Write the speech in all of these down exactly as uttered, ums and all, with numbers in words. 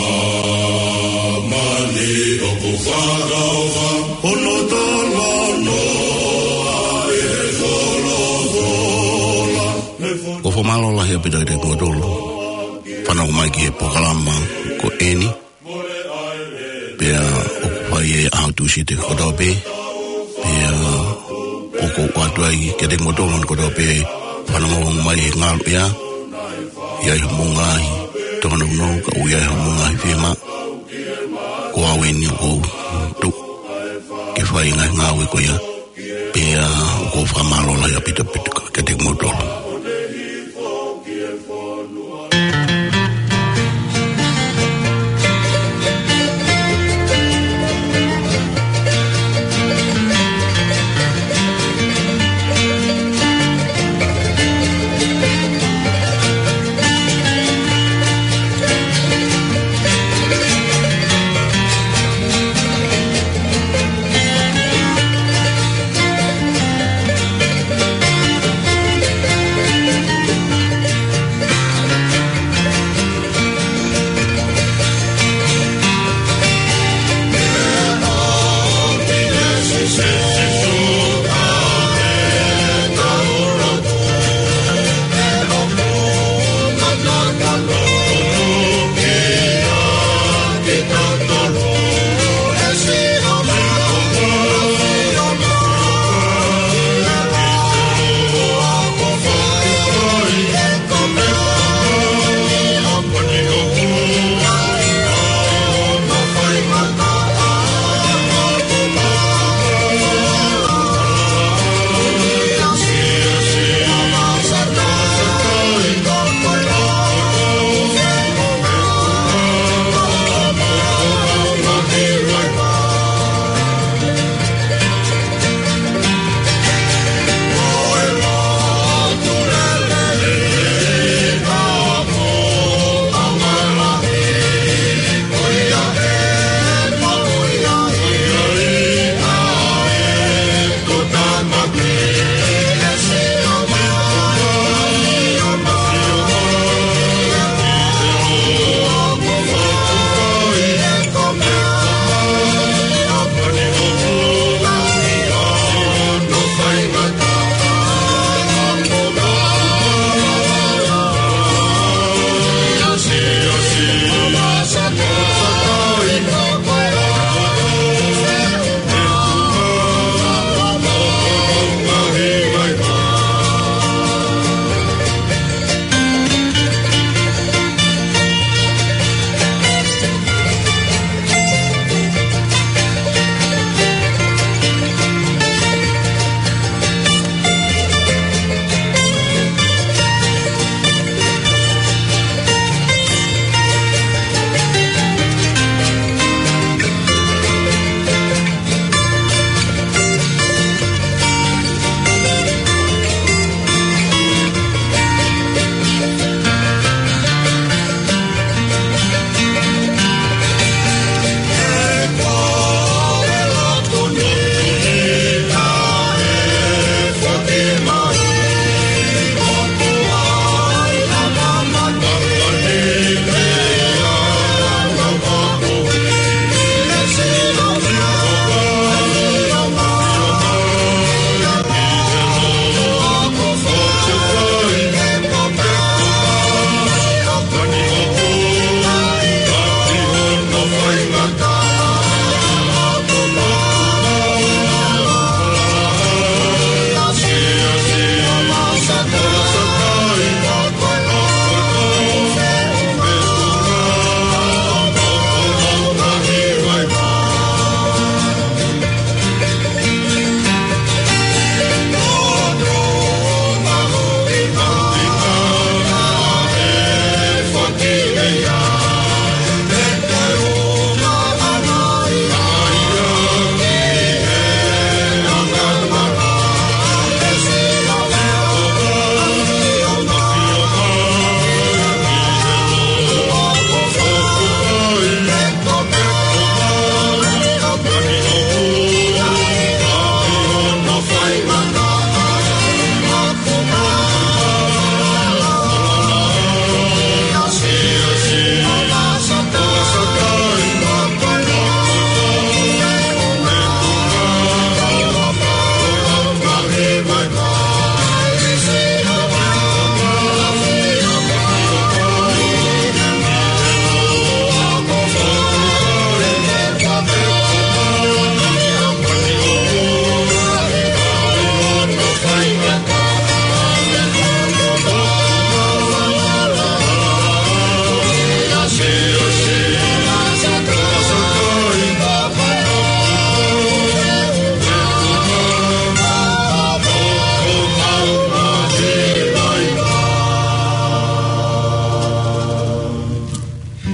Māmani ʻoku fakaʻofa, ʻo lotolotoa ʻi he folofola. ʻOku fakamālō lahi ʻaupito kiate kimoutolu fanongo mai ki he polokalama ko eni. Pea ʻoku fai ʻi he ʻaho Tūsite kotoa pē. Pea ʻoku ou ʻoatu ai kiate kimoutolu kotoa pē fanongo mai he ngaluʻea. ʻI ai hoʻomou ngaahi tōnounou, ka ʻoku ʻi ai hoʻomou ngaahi fiemaʻu, ko au eni ʻoku ou tuʻu ke fai e ngaahi ngāue ko ia. Pea ʻoku ou fakamālō lahi ʻaupito kiate kimoutolu.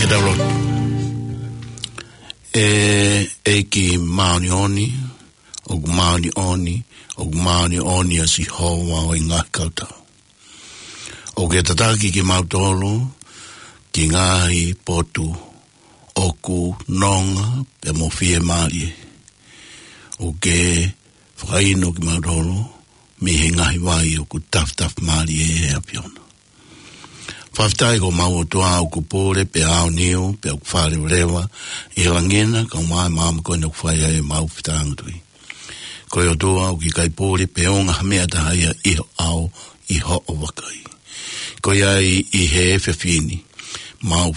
Ke tau lotu. ʻE ʻEiki māʻoniʻoni, ʻoku māʻoniʻoni, ʻoku māʻoniʻoni ʻa Sihova ʻo e ngaahi kautau. ʻOku ke tataki kimautolu ki he ngaahi potu ʻoku nonga pea mo fiemālie. ʻOku ke fakainu kimautolu mei he ngaahi vai ʻoku tafitafi mālie ʻe he ʻAfiona. Fakafetaʻi ko homau ʻOtua ʻoku pule pea aoniu pea ʻoku fālevaleva ʻi he langi na, kae ʻumaʻā e maama ko eni ʻoku fai ai ʻemau fetāngatui. Ko e ʻOtua ʻoku ʻikai pule pe ʻunga ha meʻa ʻe taha ia ʻi ho ʻao, ʻi hoʻo vakai. Ko ia ai ʻi he efiafi ni, mau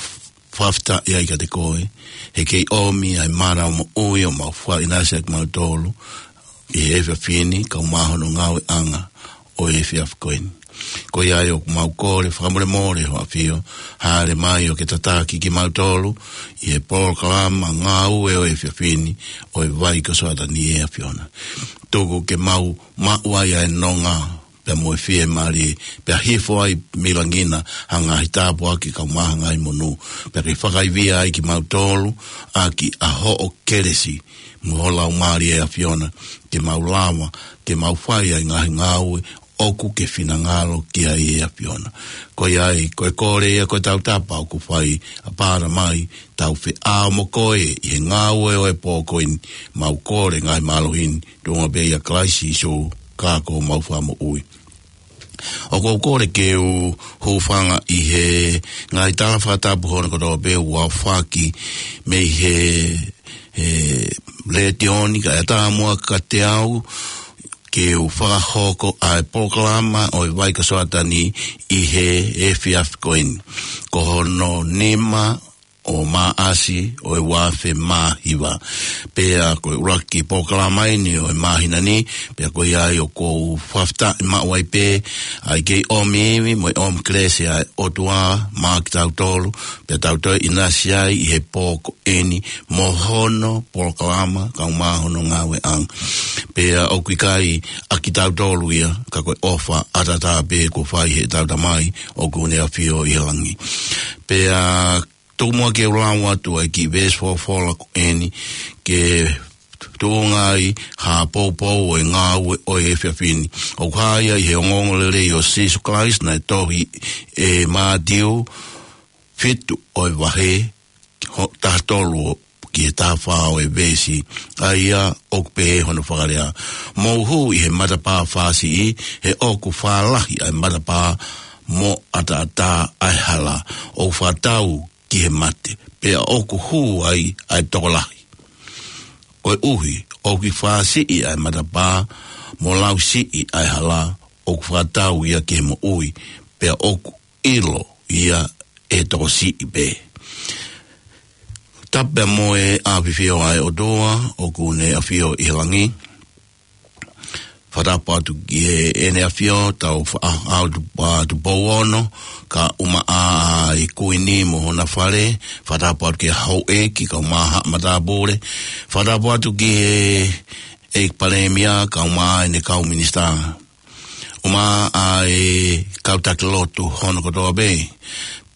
fakafetaʻi ai kiate koe, he kei ʻomi ʻa e mana moʻui ʻo mau fakaʻinasi ʻaki kimautolu ʻi he efiafi ni, kae ʻumaʻā hono ngāueʻanga ʻo e efiafi ko eni. Ko ia ai ʻoku mau kole fakamolemole ho ʻAfio, hāʻele mai ʻo ke tataki kimautolu ʻi he polokalama ngāue ʻo e efiafi ni ʻo e Vai ko Soatani, ʻe ʻAfiona. Tuku ke mau maʻu ai ʻa e nonga pea mo e fiemālie, pea hifo ai mei langi na ha ngaahi tāpuaki kae ʻumaʻā ha ngaahi monū, pea ke fakaivia ai kimautolu ʻaki ʻa hoʻo kelesi mo ho Laumālie, ʻe ʻAfiona, ke mau lava ke mau fai ʻa e ngaahi ngāue ʻoku ke finangalo ki ai, ʻe ʻAfiona. Ko ia ai, ko e kole ia, ko e tautapa ʻoku fai ʻa Pāla mai, tau feʻao mo koe ʻi he ngāue ʻo e pō ko eni, mau kole ngaahi mālohi ni, tuʻunga pē ʻia Kalaisi Sīsū, ka ko homau Fakamoʻui. ʻOku ou kole ke u hūfanga ʻi he ngaahi tala fakatapu hono kotoa pē ʻoku aofaki mei he, he letiō ni, kae ʻatā muʻa kiate au ke u fakahoko ʻa e polokalama ʻo e Vai ko Soatani ʻi he efiafi ko eni. Ko hono nima ʻo Maʻasi ʻo e ua afe mā hiva. Pea ko e ʻuluaki polokalama eni ʻo e māhina ni, pea ko ia ai ʻoku ou fakafetaʻi maʻu ai pē ʻa e kei ʻomi ivi mo e ʻomi kelesi ʻa e ʻOtua maʻa kitautolu, pea tau toe ʻinasi ai ʻi he pō ko eni mo hono polokalama kae ʻumaʻā hono ngāueʻanga. Pea ʻoku ʻikai ʻa kitautolu ia, ka ko e ʻofa ʻataʻatā pē kuo fai ʻe heʻetau Tamai ʻoku ne ʻafio ʻi he langi. Pea tuku muʻa ke u lau atu ʻa e kiʻi veesi folofola ko eni ke tuʻunga ai ha poupou ʻo e ngāue ʻo e efiafi ni. ʻOku hā ia ʻi he ongoongolelei ʻo Sīsū Kalaisi naʻe tohi ʻe Mātiu, fitu ʻo e vahe, ho-, taha tolu ki he taha fā ʻo e veesi, ʻa ia ʻoku pehē hono fakalea: Mou hū ʻi he matapā fāsiʻi, he ʻoku fālahi ʻa e matapā mo ʻataʻatā ʻa e hala, ʻoku fakatau ki he mate, pea ʻoku hū ai ʻa e tokolahi. Koeʻuhi ʻoku fāsiʻi ʻa e matapā mo lausiʻi ʻa e hala, ʻoku fakatau ia ki he moʻui, pea ʻoku ʻilo ia ʻe he tokosiʻi pē. Tapu mo e ʻafio ʻa e ʻOtua ʻoku ne ʻafio ʻi he langi. Fakatapu atu ki heʻene ʻafio, tau fa-, ʻa, ʻa, ʻa, Tupou Ono, kae ʻumaʻā ʻa e Kuini mo hona fale. Fakatapu atu ki he houʻeiki kae ʻumaʻā haʻa matāpule. Fakatapu atu ki he ʻEiki Palēmia kae ʻumaʻā ʻene kau minisitā, ʻumaʻā ʻa e kau taki lotu hono kotoa pē.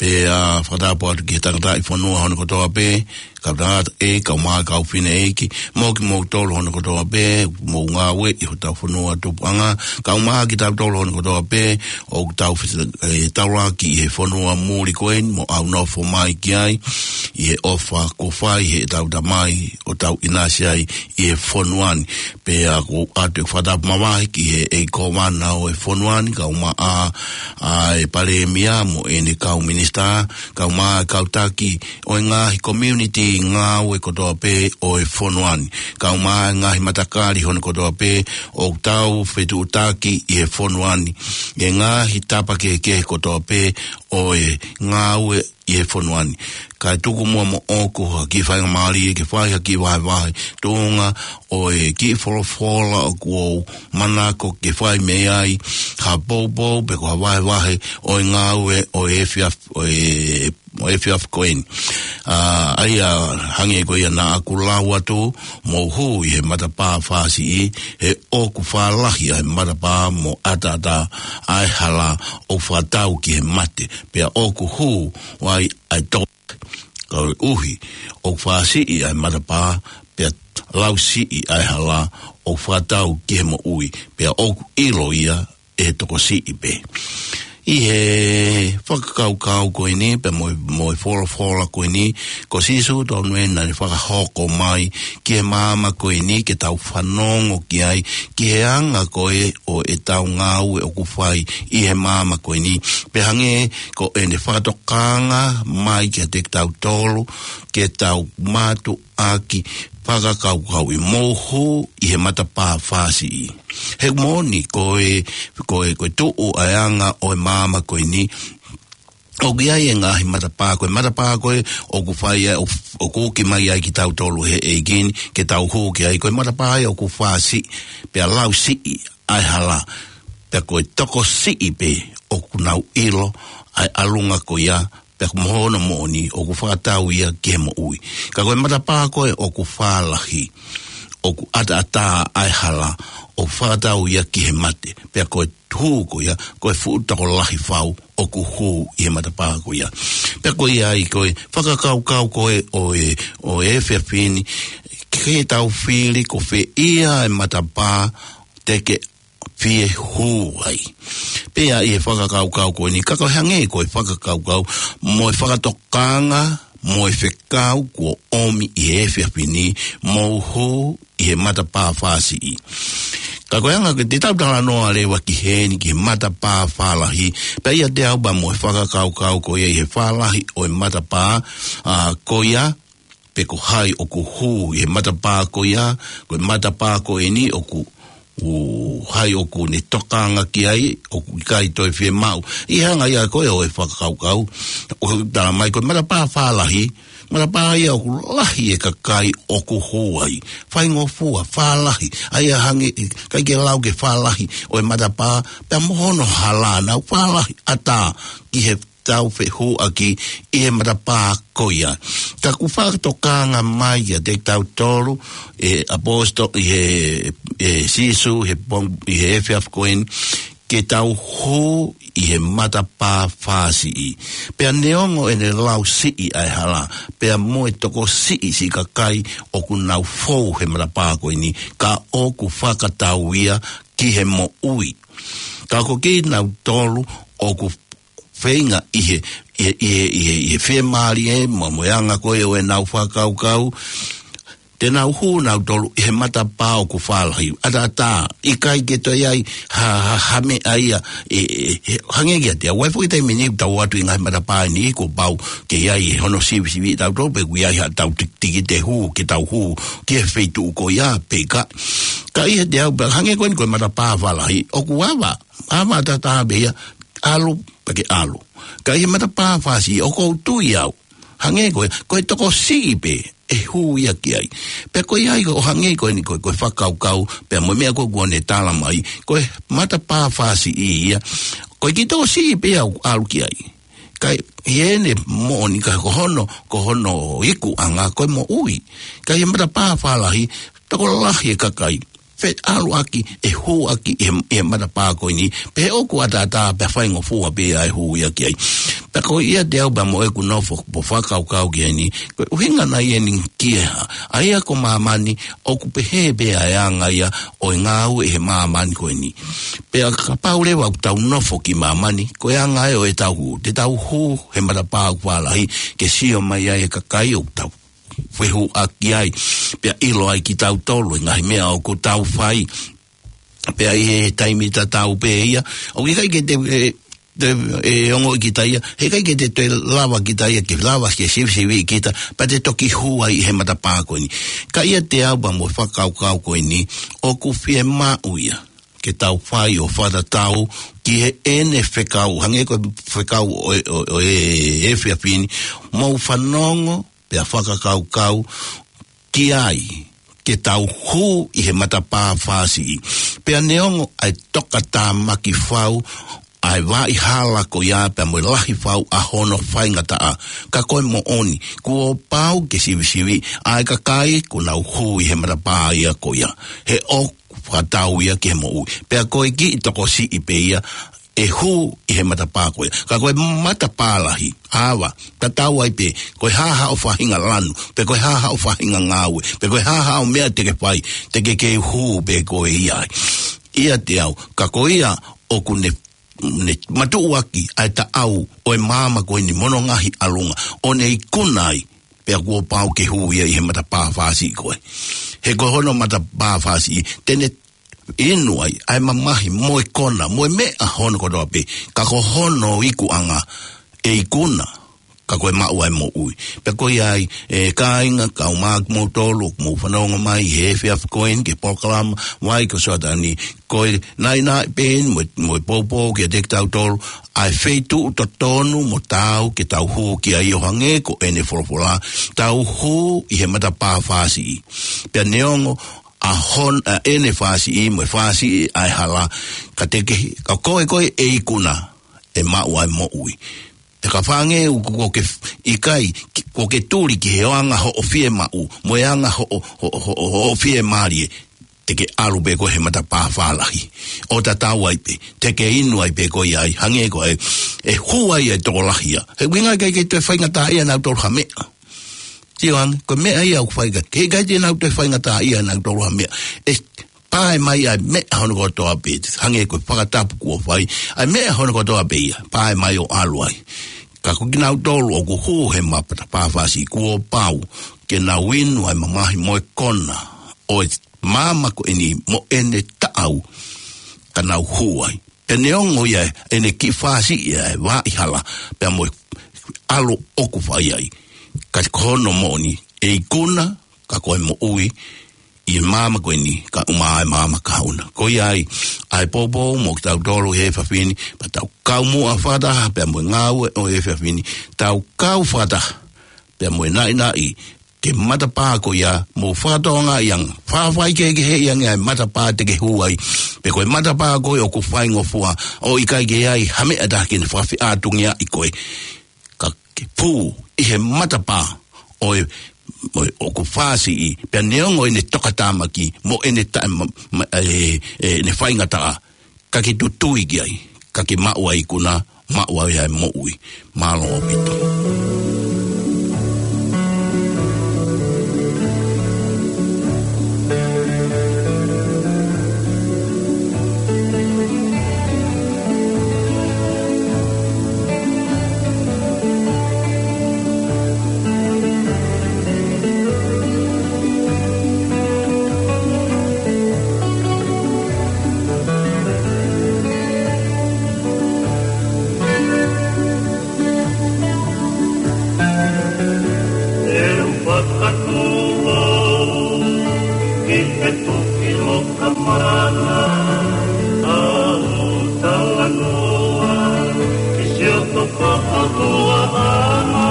Pea fakatapu atu ki he tangataʻi fonua hono kotoa pē, kau tangataʻeiki kae ʻumaʻā kau fineʻeiki, mo kimoutolu hono kotoa pē, mou ngāue ʻi hotau fonua tupuʻanga, kae ʻumaʻā kitautolu hono kotoa pē ʻoku tau fiti-, ʻe, taulaki ʻi he fonua muli ko eni, mo ʻaunofo mai ki ai, ʻi he ʻofa kuo fai ʻe heʻetau Tamai ʻo tau ʻinasi ai ʻi he fonua ni. Pea ʻoku ou ʻoatu e fakatapu mavahe ki he ʻEiki Kōvana ʻo e fonua ni, kae ʻumaʻā ʻa e Palēmia mo ʻene kau minisitā, kae ʻumaʻā e kau taki ʻo e ngaahi community ngāue kotoa pē ʻo e fonua ni, kae ʻumaʻā e ngaahi matakali hono kotoa pē ʻoku tau fetuʻutaki ʻi he fonua ni, e ngaahi tapa kehekehe kotoa pē ʻo e ngāue ʻi he fonua ni. Kae tuku muʻa moʻoku ha kiʻi faingamālie ke fai ha kiʻi vahevahe tuʻunga ʻo e kiʻi folofola ʻoku ou manako ke fai mei ai ha poupou pe ko ha vahevahe ʻo e ngāue ʻo e efiafi, ʻo e, ʻo e efiafi ko eni. ʻA, ʻa ia hangē ko ia naʻa ku lau atu, mou hū ʻi he matapā fāsiʻi, he ʻoku fālahi ʻa e matapā mo ʻataʻatā ʻa e hala, ʻoku fakatau ki he mate, pea ʻoku hū ai ʻa e to-, Koeʻuhi ʻoku fāsiʻi ʻa e matapā, pea lausiʻi ʻa e hala, ʻoku fakatau ki he moʻui, pea ʻoku ʻilo ia ʻe he tokosiʻi pē. ʻI he fakakaukau ko eni, pea mo, mo e folofola ko eni, ko Sīsū tonu ē naʻa ne fakahoko mai ki he māmani ko eni ke tau fanongo ki ai, ki he anga ko ē ʻo ʻetau ngāue ʻoku fai ʻi he māmani ko eni. Pea hangē ko ʻene fakatokanga mai kiate kitautolu, ke tau mātuʻaki fakakaukauʻi, mou hū ʻi he matapā fāsiʻi. He moʻoni ko e, ko e, ko e tuʻu ʻa e anga ʻo e māmani ko eni, ʻoku ʻi ai e ngaahi matapā, ko e matapā ko ē ʻoku fai ai, ʻo, ʻoku uki mai ai kitautolu ʻe he ʻEiki ni, ke tau hū ki ai, ko e matapā ia ʻoku fāsiʻi, pea lausiʻi ʻa e hala, pea ko e tokosiʻi pē ʻoku nau ʻilo ʻa e ʻalunga ko ia, pea ko hono moʻoni ʻoku fakatau ia ki he moʻui. Ka ko e matapā ko ē ʻoku fālahi, ʻoku ʻataʻatā ʻa e hala, ʻoku fakatau ia ki he mate, pea ko e hū ko ia, ko e fuʻu tokolahi fau ʻoku hū ʻi he matapā ko ia. Pea ko ia ai ko e fakakaukau ko ē ʻo e, ʻo e efiafi ni, ke tau fili ko fē ia e matapā te ke fie hū ai. Pea ʻi he fakakaukau ko eni, ka ko e hangē ko e fakakaukau, mo e fakatokanga, mo e fekau kuo ʻomi ʻi he efiafi ni, mou hū ʻi he matapā fāsiʻi. Ka ko e anga ko ē te tau talanoa leva ki heni ki he matapā fālahi, pea ʻiate au pea mo e fakakaukau ko ia ʻi he fālahi ʻo e matapā, ʻa, ko ia, pe ko hai ʻoku hū ʻi he matapā ko ia, ko e matapā ko eni ʻoku, ʻo hai ʻoku ne tokanga ki ai, ʻoku ʻikai toe fiemaʻu. ʻI he anga ia ko ē ʻo e fakakaukau, ʻoku tala mai ko e matapā fālahi, matapā ia ʻoku lahi e kakai ʻoku hū ai. Faingofua, fālahi, ʻa ia hangē, ʻikai ke lau ke fālahi ʻo e matapā, pea mo hono hala, nau fālahi ʻatā ki he tau fehuʻaki ʻi he matapā ko ia. Ka ʻoku fakatokanga mai kiate kitautolu ʻe he ʻaposetolo, ʻi he, ʻe Sīsū, he pong-, ʻi he efiafi ko eni, ke tau hū ʻi he matapā fāsiʻi. Pea neongo ʻene lausiʻi ʻa e hala, pea mo e tokosiʻi siʻi kakai ʻoku nau fou he matapā ko eni, ka ʻoku fakatau ia ki he moʻui. Ka ko kinautolu ʻoku feinga ʻi he, ʻi he, ʻi he, ʻi he, ʻi he fiemālie mo, mo e anga ko ē ʻo ʻenau fakakaukau, te nau hū nautolu ʻi he matapā ʻoku fālahi. ʻAtaʻatā, ʻikai ke toe ʻi ai ha, ha, ha meʻa ia, ʻe, ʻe, ʻe, hangē kiate au, ʻoku ʻi ai foki taimi ʻe niʻihi ʻoku tau ʻoatu ʻi he ngaahi matapā ʻe niʻihi kuo pau ke ʻi ai hono sivisiviʻi tautolu pe ʻoku ʻi ai haʻatau tik-, tikite hū, ke tau hū ki he feituʻu ko ia pe ʻikai. Ka ʻiate au pē, hangē ko eni ko e matapā fālahi, ʻoku ava, ava ʻataʻatā pē ia, ʻalu, pea ke ʻalu. Ka ʻi he matapā fāsiʻi, ʻoku ou tui au, hangē ko e, ko e tokosiʻi pē ʻe hū ia ki ai. Pea ko ia ai ko e hangē ko eni ko e, ko e fakakaukau, pea mo e meʻa ko ē kuo ne tala mai, ko e matapā fāsiʻi ia, ko e kiʻi tokosiʻi pē ia ʻoku ʻalu ki ai. Ka ʻi heʻene moʻoni ka ko hono, ko hono ikuʻanga, ko e moʻui. Ka ʻi he matapā fālahi, tokolahi e kakai, feʻaluʻaki, ʻe hū ʻaki ʻi he, ʻi he matapā ko eni, pea ʻoku ʻataʻatā pea faingofua pē ʻa e hū ia ki ai. Pea ko ia ʻiate au pea mo ʻeku nofo, ʻoku ou fakakaukau ki heni, ko e ʻuhinga nai eni ki he hā, ʻa ia ko māmani, ʻoku pehē pē ʻa e anga ia ʻo e ngāue ʻi he māmani ko eni. Pea kapau leva ʻoku tau nofo ki māmani, ko e anga ia ʻo ʻetau hū, te tau hū he matapā ʻoku fālahi, ke sio mai ai e kakai ʻoku tau fehuʻaki ai, pea ʻilo ai kitautolu, e ngaahi meʻa ʻoku tau fai. Pea ʻi he taimi tatau pē ia, ʻoku ʻikai ke te, ʻe, te, ʻe ongoʻi kita ia, heʻikai ke te, te lava kita ia, ke lava ke sivisiviʻi kita, pea te toki hū ai ʻi he matapā ko eni. Ka ʻiate au pea mo e fakakaukau ko eni, ʻoku fiemaʻu ia ke tau fai ʻo fakatatau ki heʻene fekau, hangē ko e fekau ʻo, ʻo, ʻo e, efiafi ni, mou fanongo, pea fakakaukau ki ai, ke tau hū ʻi he matapā fāsiʻi. Pea neongo ʻa e tokatāmaki fau, ʻa e vaʻa hala ko ia pea mo e lahi fau ʻa hono faingataʻa. Ka ko e moʻoni, kuo pau ke sivisiviʻi ʻa e kakai kuo nau hū ʻi he matapā ia ko ia. He ʻoku fakatau ia ki he moʻui. Pea ko e kiʻi tokosiʻi pē ia, ʻe hū ʻi he matapā ko ia. Ka ko e matapā lahi, ʻava, tatau ai pē, ko e hā haʻo faʻahinga lanu, pe ko e hā haʻo faʻahinga ngāue, pe ko e hā haʻo meʻa te ke fai, te ke kei hū pē koe ia ai. ʻIate au, ka ko ia ʻoku ne, ne matuʻuaki ʻa e taʻau ʻo e maama ko eni mo hono ngaahi ʻalunga, ʻo ne ikuna ai, pea kuo pau ke hū ia ʻi he matapā fāsiʻi ko ē. He ko hono matapā fāsiʻi, te ne inu ai ʻa e mamahi mo e kona, mo e meʻa hono kotoa pē, ka ko hono ikuʻanga ʻe ikuna, ka ko e maʻu ʻa e moʻui. Pea ko ia ai, ʻe kāinga, kau mai kimoutolu, mou fanongo mai he efiafi ko eni ki he polokalama, Vaikasoatani, ko e naʻinaʻi pē eni mo, mo e poupou kiate kitautolu, ʻa e feituʻu totonu mo taau ke tau hū ki ai ʻo hangē ko ʻene folofola, tau hū ʻi he matapā fāsiʻi. Pea neongo ʻa hon-, ʻa ʻene fāsiʻi, mo e fāsiʻi ʻa e hala, ka te ke, ka ko e ko e ʻe ikuna, ʻe maʻu ʻa e moʻui. Te ka fānge u ko ke f-, ʻikai, ki-, ko ke tuli ki he anga hoʻo fiemaʻu, mo e anga hoʻo, hoʻo, hoʻo, hoʻo fiemālie, te ke ʻalu pē koe he matapā fālahi. ʻO tatau ai pē, te ke inu ai pē koe ia ai, hangē ko e, ʻe hū ai ʻa e tokolahi ia. He ʻuhinga ʻikai ke toe faingataʻaʻia nautolu ha meʻa. Sio ange, ko e meʻa ia ʻoku fai ka, ke ʻikai te nau toe faingataʻaʻia nautolu ha meʻa. ʻE pae mai ʻa e meʻa hono kotoa pē, hangē ko e fakatapu kuo fai. ʻA e meʻa hono kotoa pē ia, pae mai ʻo ʻalu ai. Ka ko kinautolu ʻoku hū he matapā fāsiʻi kuo pau ke nau inu ʻa e mamahi mo e kona ʻo e maama ko eni mo ʻene taʻau ka nau hū ai. Pea neongo ia ʻene kiʻi fāsiʻi ʻa e vaʻa hala, pea mo e ʻalu ʻoku fai ai. Ka ko hono moʻoni, ʻe ikuna, ka ko e moʻui, ʻi he maama ko eni, ka ʻuma ʻa e maama kahaʻu na. Ko ia ai, ʻa e poupou mo kitautolu he efiafi ni, pea tau kau muʻa fakataha, pea mo e ngāue ʻo e efiafi ni, tau kau fakataha, pea mo e naʻinaʻi, ke matapā ko ia, mou fakatokangaʻi ange, fāfai kehekeheʻi ange ʻa e matapā te ke hū ai, pe ko e matapā ko ē ʻoku faingofua, ʻo ʻikai ke ʻi ai ha meʻa ʻe taha ke ne fakafeʻātungiaʻi koe. Ka ke pū ʻi he matapā ʻo e, ʻo e, ʻoku fāsiʻi, pea neongo ʻene tokatāmaki, mo ʻene taʻe ma-, ma-, ʻe, ʻe, ʻene faingataʻa, ka ke tutui ki ai, ka ke maʻu ʻa e ikuna, maʻu ai ʻa e moʻui. Mālō ʻaupito. ʻE u fakatū au ki he tuki loka mana, ʻa u talanoa ki siʻoto fakaʻotuaʻanga,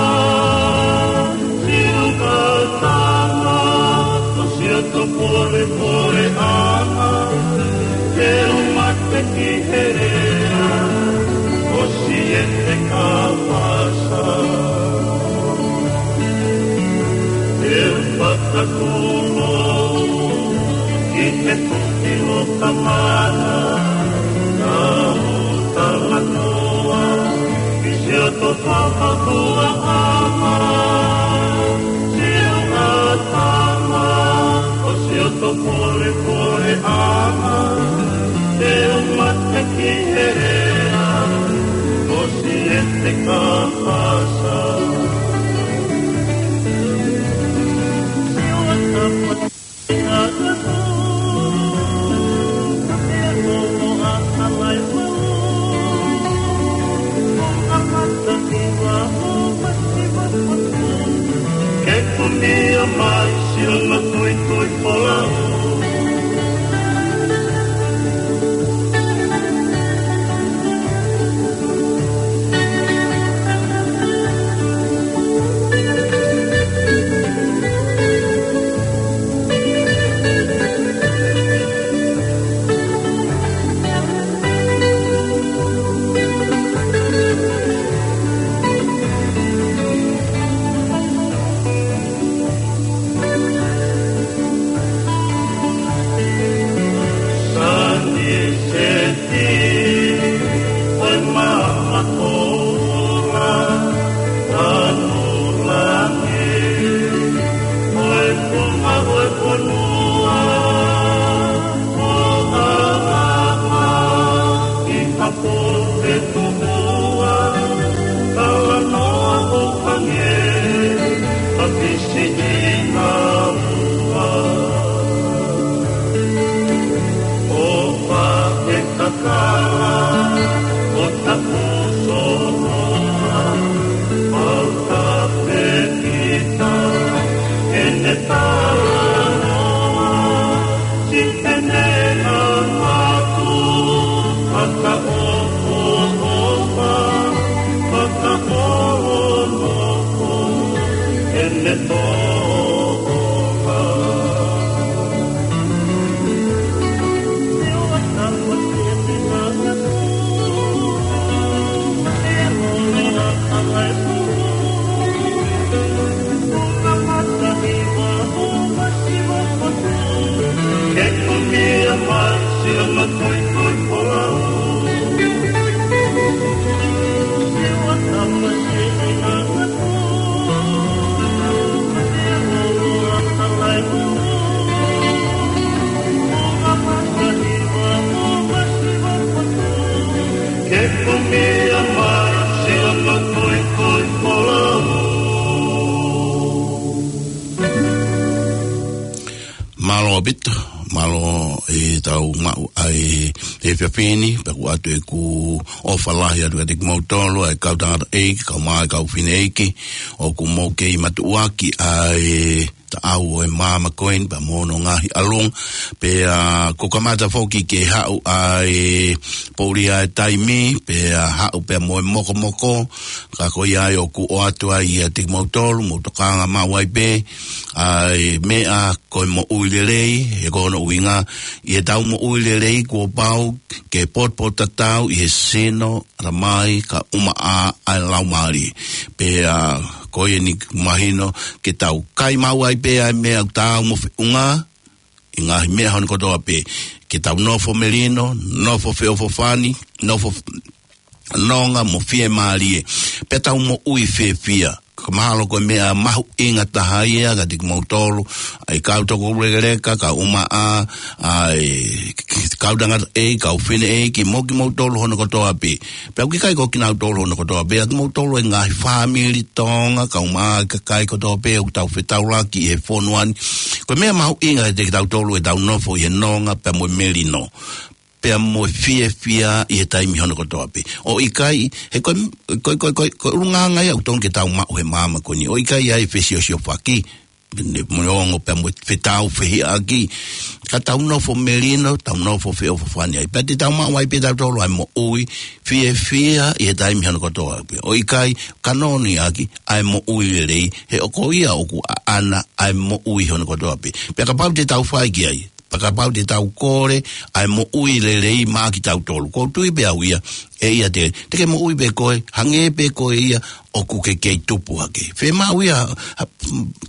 siʻoto kātanga, ʻo siʻoto polepoleʻanga, te u mate ki he lea ʻo Siete Kapasa. ʻE u fakatū au ki he tuki loka mana, ʻa u talanoa ki siʻoto fakaʻotuaʻanga, siʻoto kātanga, ʻo siʻoto polepoleʻanga, te u mate ki he lea ʻo Siete Kapasa. Ke kunia mai siʻono tuitui folau. Pisini na ua, o pa ke kakala, o tapu soa, mau ka pe kita, ʻene talanoa, si pene na matu, fakaʻofoʻofa, fakaʻofoʻofa. Mālō ʻaupito, mālō ʻetau maʻu ʻa e efiafi ni, pea ʻoku ʻoatu ʻeku ʻofa lahi atu kiate kimoutolu, ʻa e kau tangataʻeiki, kae ʻumaʻā e kau fineʻeiki, ʻoku mou kei matuʻuaki ʻa e taʻau ʻo e maama ko eni, pea mo hono ngaahi ʻalunga, pea kuo kamata foki ke haʻu ʻa e poʻuli ʻa e taimi, pea haʻu pea mo e mokomoko, ka ko ia ai ʻoku ʻoatu ai kiate kimoutolu, mou tokanga maʻu ai pē, ʻa e meʻa ko e moʻui lelei, he ko hono ʻuhinga, ʻi heʻetau moʻui lelei kuo pau ke potopoto tatau ʻi he sino, ʻatamai, kae ʻumaʻā ʻa e laumālie. Pea ko ia eni mahino ke tau kai maʻu ai pē ʻa e meʻa ʻoku taau mo feʻunga, ʻi he ngaahi meʻa hono kotoa pē. Ke tau nofo melino, nofo feʻofoʻofani, nofo nonga mo fiemālie. Pea tau moʻui fiefia. Ka mahalo ko e meʻa mahuʻinga taha ia kiate kimoutolu, ʻa e kau toko lekeleka, kae ʻumaʻā ʻa e kau tangataʻeiki, kau fineʻeiki, mo kimoutolu hono kotoa pē. Pea ʻoku ʻikai ko kinautolu hono kotoa pē, ʻa kimoutolu e ngaahi fāmili Tonga, kae ʻumaʻā e kakai kotoa pē ʻoku tau fetaulaki he fonua ni. Ko e meʻa mahuʻinga kiate kitautolu ʻetau nofo ʻi he nonga pea mo e melino, pea mo e fiefia ʻi he taimi hono kotoa pē. ʻO ʻikai, he ko e, ko e, ko e, ko e, ko e ʻulungaanga ia ʻoku totonu ke tau maʻu he maama ko eni. ʻO ʻikai ʻa e fesiosiofaki, ne mo e ongo pea mo e fetaufehiʻaki. Ka tau nofo melino, tau nofo feʻofoʻofani ai. Pea te tau maʻu ai pē tautolu ʻa e moʻui fiefia ʻi he taimi hono kotoa pē. ʻO ʻikai, kanoni ʻaki ʻa e moʻui lelei, he ʻoku ko ia ʻoku ʻaʻana ʻa e moʻui hono kotoa pē. Pea kapau te tau fai ki ai, pea kapau te tau kole ʻa e moʻui lelei maʻa kitautolu. ʻOku ou tui pē au ia, ʻe ʻiate, te ke moʻui pē koe, hangē pē ko ia ʻoku ke kei tupu hake. Fiemaʻu ia, ha,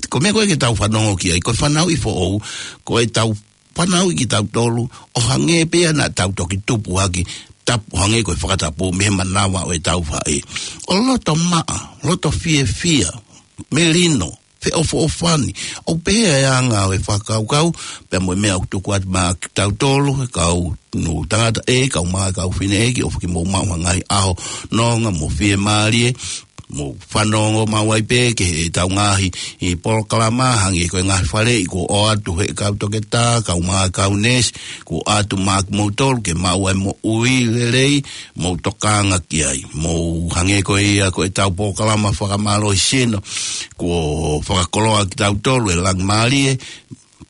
ko e meʻa ko ē ke tau fanongo ki ai, ko e fanauʻi foʻou, ko ʻetau fanauʻi kitautolu, ʻo hangē pē ia naʻa tau toki tupu hake, tapu, hangē ko e fakatapu mei he manava ʻo ʻetau faʻē. ʻO loto maʻa, loto fiefia, melino, feʻofoʻofani. ʻOku pehē ʻa e anga ʻo e fakakaukau, pea mo e meʻa ʻoku tuku atu maʻa kitautolu, kau tangataʻeiki, kae ʻumaʻā e kau fineʻeiki, ʻofa ke mou maʻu ha ngaahi ʻaho nonga mo fiemālie, mou fanongo maʻu ai pē ki heʻetau ngaahi polokalama, hangē ko e ngaahi faleʻi kuo ʻoatu ʻe he kau toketā, kae ʻumaʻā e kau neesi, kuo ʻoatu maʻa kimoutolu ke maʻu ʻa e moʻui lelei, mou tokanga ki ai. Mou hangē ko ia ko ʻetau polokalama fakamālohisino, kuo fakakoloa kitautolu ʻe he Laumālie,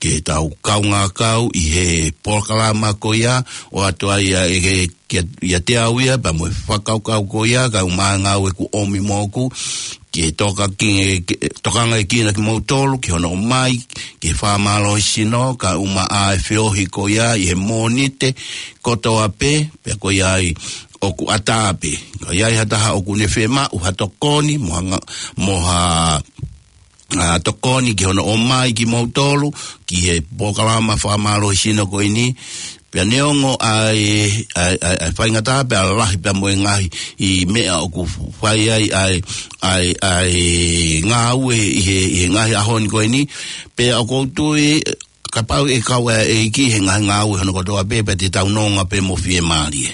ke tau kaungā kau ʻi he polokalama ko ia, ʻoatu ai ʻa e, ke, ke, ʻiate au ia, pea mo e fakakaukau ko ia, kae ʻumaʻā e ngāue kuo ʻomi moʻoku, ke toka ki, ke, tokangaʻi kinautolu, ki hono ʻomai, ke fakamālohisino, kae ʻumaʻā e feohi ko ia, ʻi he Mōnite kotoa pē, pea ko ia ai ʻoku ʻatā pē. Ka ʻi ai ha taha ʻoku ne fiemaʻu ha tokoni, mo ha nga-, mo ha, ʻa, tokoni ki hono ʻomai kimoutolu, ki he polokalama fakamālohisino ko eni. Pea neongo ʻa e, ʻa e, ʻa e, ʻa e faingataʻa pea lahi pea mo e ngaahi ʻi meʻa ʻoku fai ai ʻa e, ʻa e, ʻa e ngāue ʻi he, ʻi he ngaahi ʻaho ni ko eni. Pea ʻoku ou tui, kapau ʻe kau ʻa e ʻEiki he ngaahi ngāue hono kotoa pē, pea te tau nonga pē mo fiemālie.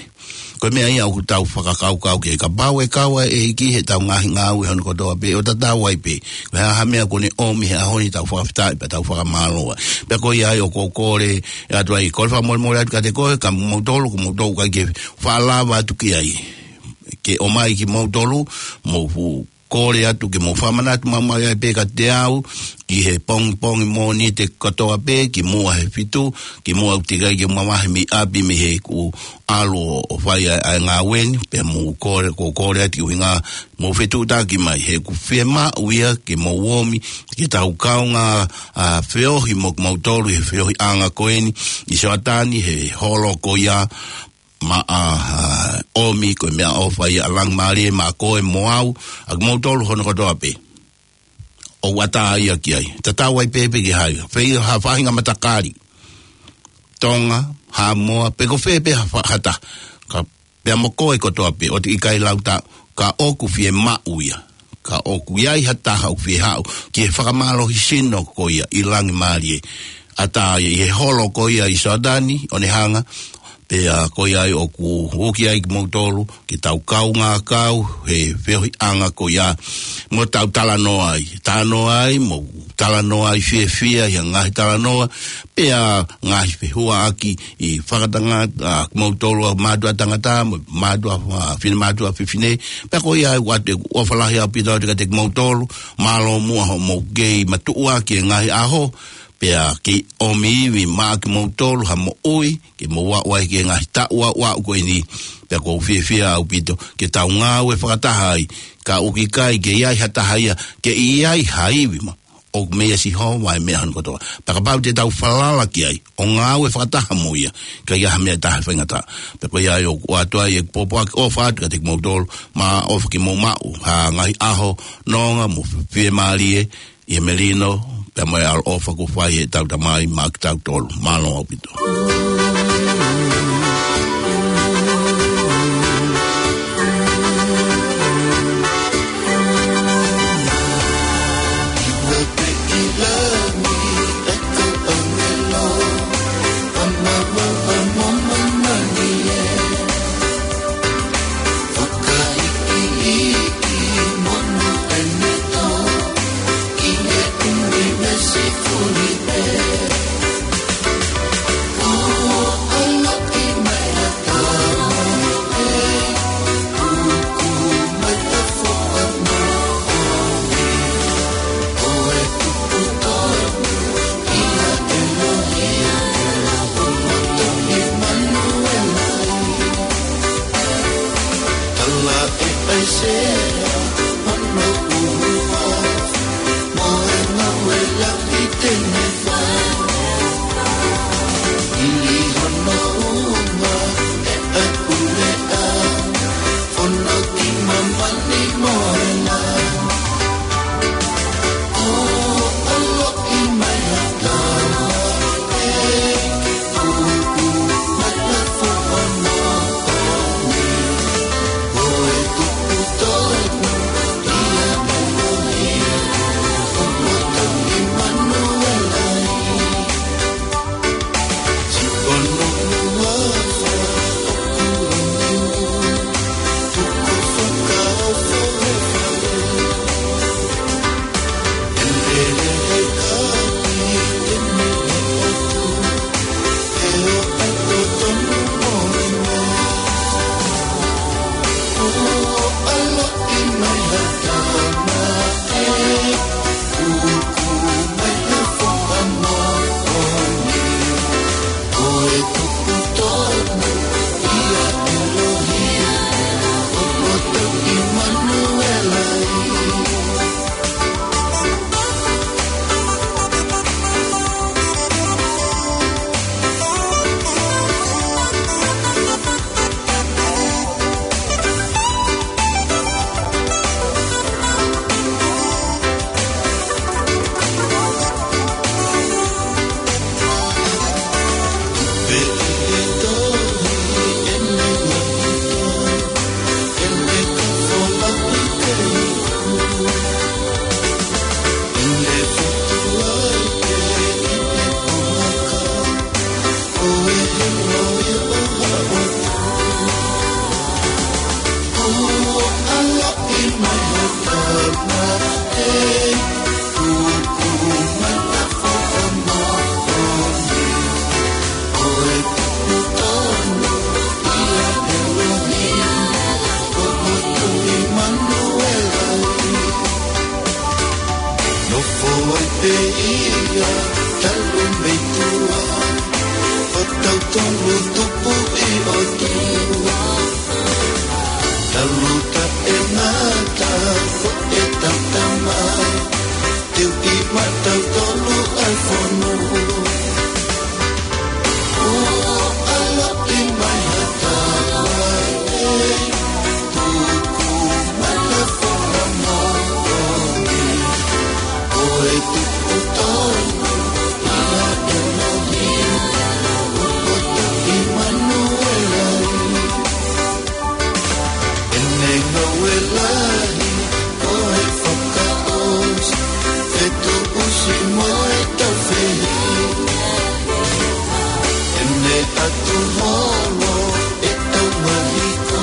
Ko e meʻa ia ʻoku tau fakakaukau ki ai, kapau ʻe kau ʻa e ʻEiki heʻetau ngaahi ngāue hono kotoa pē, ʻo tatau ai pē. Ko e hā ha meʻa kuo ne ʻomi he ʻaho ni, tau fakafetaʻi pea tau fakamālō ai. Pea ko ia ai ʻoku ou kole atu ai, kole fakamolemole atu kiate koe, ka moutolu, ko moutolu ʻoku ʻikai ke faʻa lava atu ki ai. Ke ʻomai kimoutolu, mou fu- kole atu ke mou fakamanatu maumau ai pē kiate au, ki he pongipongi Mōnite kotoa pē, kimuʻa he fitu, kimuʻa ʻoku teʻeki ai ke mavahe mei ʻapi mei heʻeku ʻalu ʻo, ʻo fai ʻa e, ʻa e ngāue ni, pea mou kole, ʻoku ou kole atu ki he ʻuhinga mou fetuʻutaki mai, he ʻoku fiemaʻu ia ke mou ōmi, ke tau kaungā, ʻa, feohi mo kimoutolu, he feohiʻanga ko eni, ʻi Soatani, he holo ko ia, maʻa, ʻa, ʻomi ko e meʻaʻofa ia ʻa Langimālie maʻa koe mo au, ʻa kimoutolu hono kotoa pē. ʻOku ʻatā ia ki ai. Tatau ai pē pe ko hai. Fē ha faʻahinga matakali. Tonga, Haʻamoa, pe ko fē pē ha fa-, ha taha. Ka pea mo koe kotoa pē, ʻoku teʻeki ai lau taʻu, ka ʻoku fiemaʻu ia. Ka ʻoku ʻi ai ha taha ʻoku fie haʻu ki he fakamālohisino ko ia ʻi Langimālie. ʻAtā ia ʻi he holo ko ia ʻi Soatani, ʻo ne hanga, pea ko ia ai ʻoku uki ai kimoutolu, ke tau kaungā kau, he feohiʻanga ko ia, mo tau talanoa ai. Talanoa ai, mo talanoa ai fiefia, ʻi he ngaahi talanoa, pea ngaahi fehuaʻaki ʻi fakatangata, ʻa, kimoutolu ʻa mātuʻa tangata, mo mātuʻa, ʻa, finemātuʻa fefine, pea ko ia ai ʻoku ʻoatu ʻeku ʻofa lahi ʻaupito atu kiate kimoutolu, mālō muʻa hoʻomou kei matuʻuaki e ngaahi ʻaho, pea kei ʻomi ivi maʻa kimoutolu ha moʻui, ke mou aʻu ai ki he ngaahi taʻu aʻu, aʻu ko eni, pea ʻoku ou fiefia ʻaupito, ke tau ngāue fakataha ai, ka ʻoku ʻikai ke ʻi ai ha taha ia, ke ʻi ai ha ivi mo ʻoku meia Sihova e meʻa hono kotoa. Pea kapau te tau falala ki ai, ʻo ngāue fakataha mo ia, ka ʻi ai ha meʻa ʻe taha faingataʻa. Pea ko ia ai ʻoku ʻoatu ai ʻeku pōpoaki ʻofa atu kiate kimoutolu, mo ʻofa ke mou maʻu ha ngaahi ʻaho nonga mo fiemālie, ʻi he melino, pea mo e ʻaloʻofa kuo fai heʻetau Tamai maʻa kitautolu. Mālō ʻaupito. ʻOi pē ia, talu mei tuʻa, ʻo tautolu tupu ʻi ʻOtua. Talu taʻengata, foʻi tautama, teu ʻi maʻatautolu ʻa e fonua. ʻO ʻaloʻi mai ha tama, ʻe, tuku mai ha foha moʻoni. Ko e tupu tonu ia ʻElohim, ʻo ʻoto ʻImanuela. ʻEne ngāue lahi, ko e fakaʻosi, fetuʻusi mo e taufehiʻa. ʻEne ʻatu holo, ʻe tau mahiko,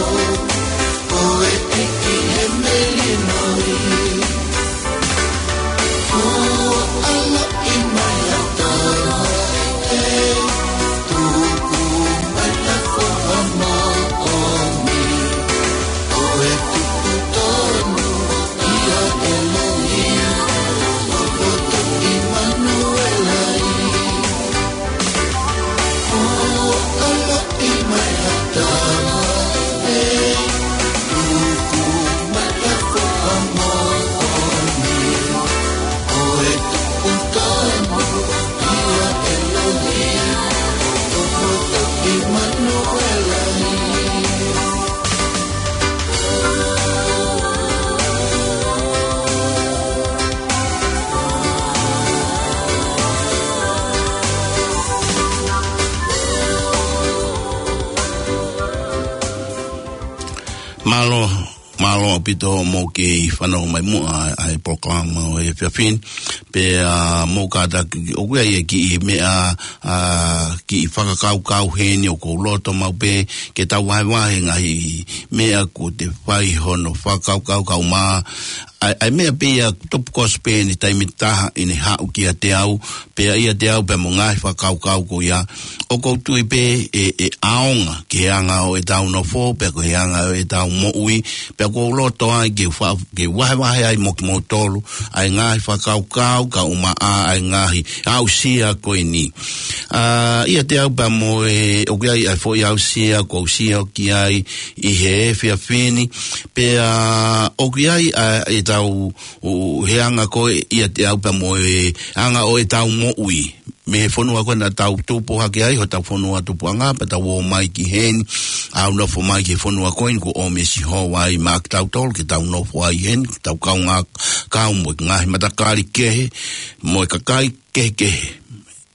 ko e ʻEiki he melino. Mālō, mālō ʻaupito hoʻomou kei fanongo mai muʻa ʻa e polokalama ʻo e efiafi ni. Pea mou kātaki, ʻoku ʻi ai e kiʻi meʻa, ʻa, kiʻi fakakaukau heni ʻoku ou loto maʻu pē ke tau vahevahe ngaahi meʻa kuo te fai hono fakakaukau kae ʻumaʻā ʻa e, ʻa e meʻa pē ia tupu kosi pē ʻi he taimi ʻe taha ʻi heʻene haʻu kiate au, pea ʻiate au pea mo e ngaahi fakakaukau ko ia. ʻOku ou tui pē ʻe, ʻe ʻaonga ki he anga ʻo ʻetau nofo, pea ko e anga ʻo ʻetau moʻui, pea ʻoku ou loto ai ke fa-, ke vahevahe ai mo kimoutolu ʻa e ngaahi fakakaukau kae ʻumaʻā ʻa e ngaahi aʻusia ko eni. ʻA, ʻiate au pea mo e, ʻoku ʻi ai ʻa e foʻi aʻusia ʻoku ou sio ki ai ʻi he efiafi ni, pea ʻoku ʻi ai ʻa ʻetau, ʻo, he anga ko ē ʻiate au pea mo e anga ʻo ʻetau moʻui. Mei he fonua ko ē naʻa tau tupu hake ai, hotau fonua tupuʻanga, pea tau ō mai ki heni, ʻo nofo mai ki he fonua ko eni kuo ʻomi ʻe Sihova ai maʻa kitautolu ke tau nofo ai heni, ke tau kaungā kau mo e ngaahi matakali kehe, mo e kakai kehekehe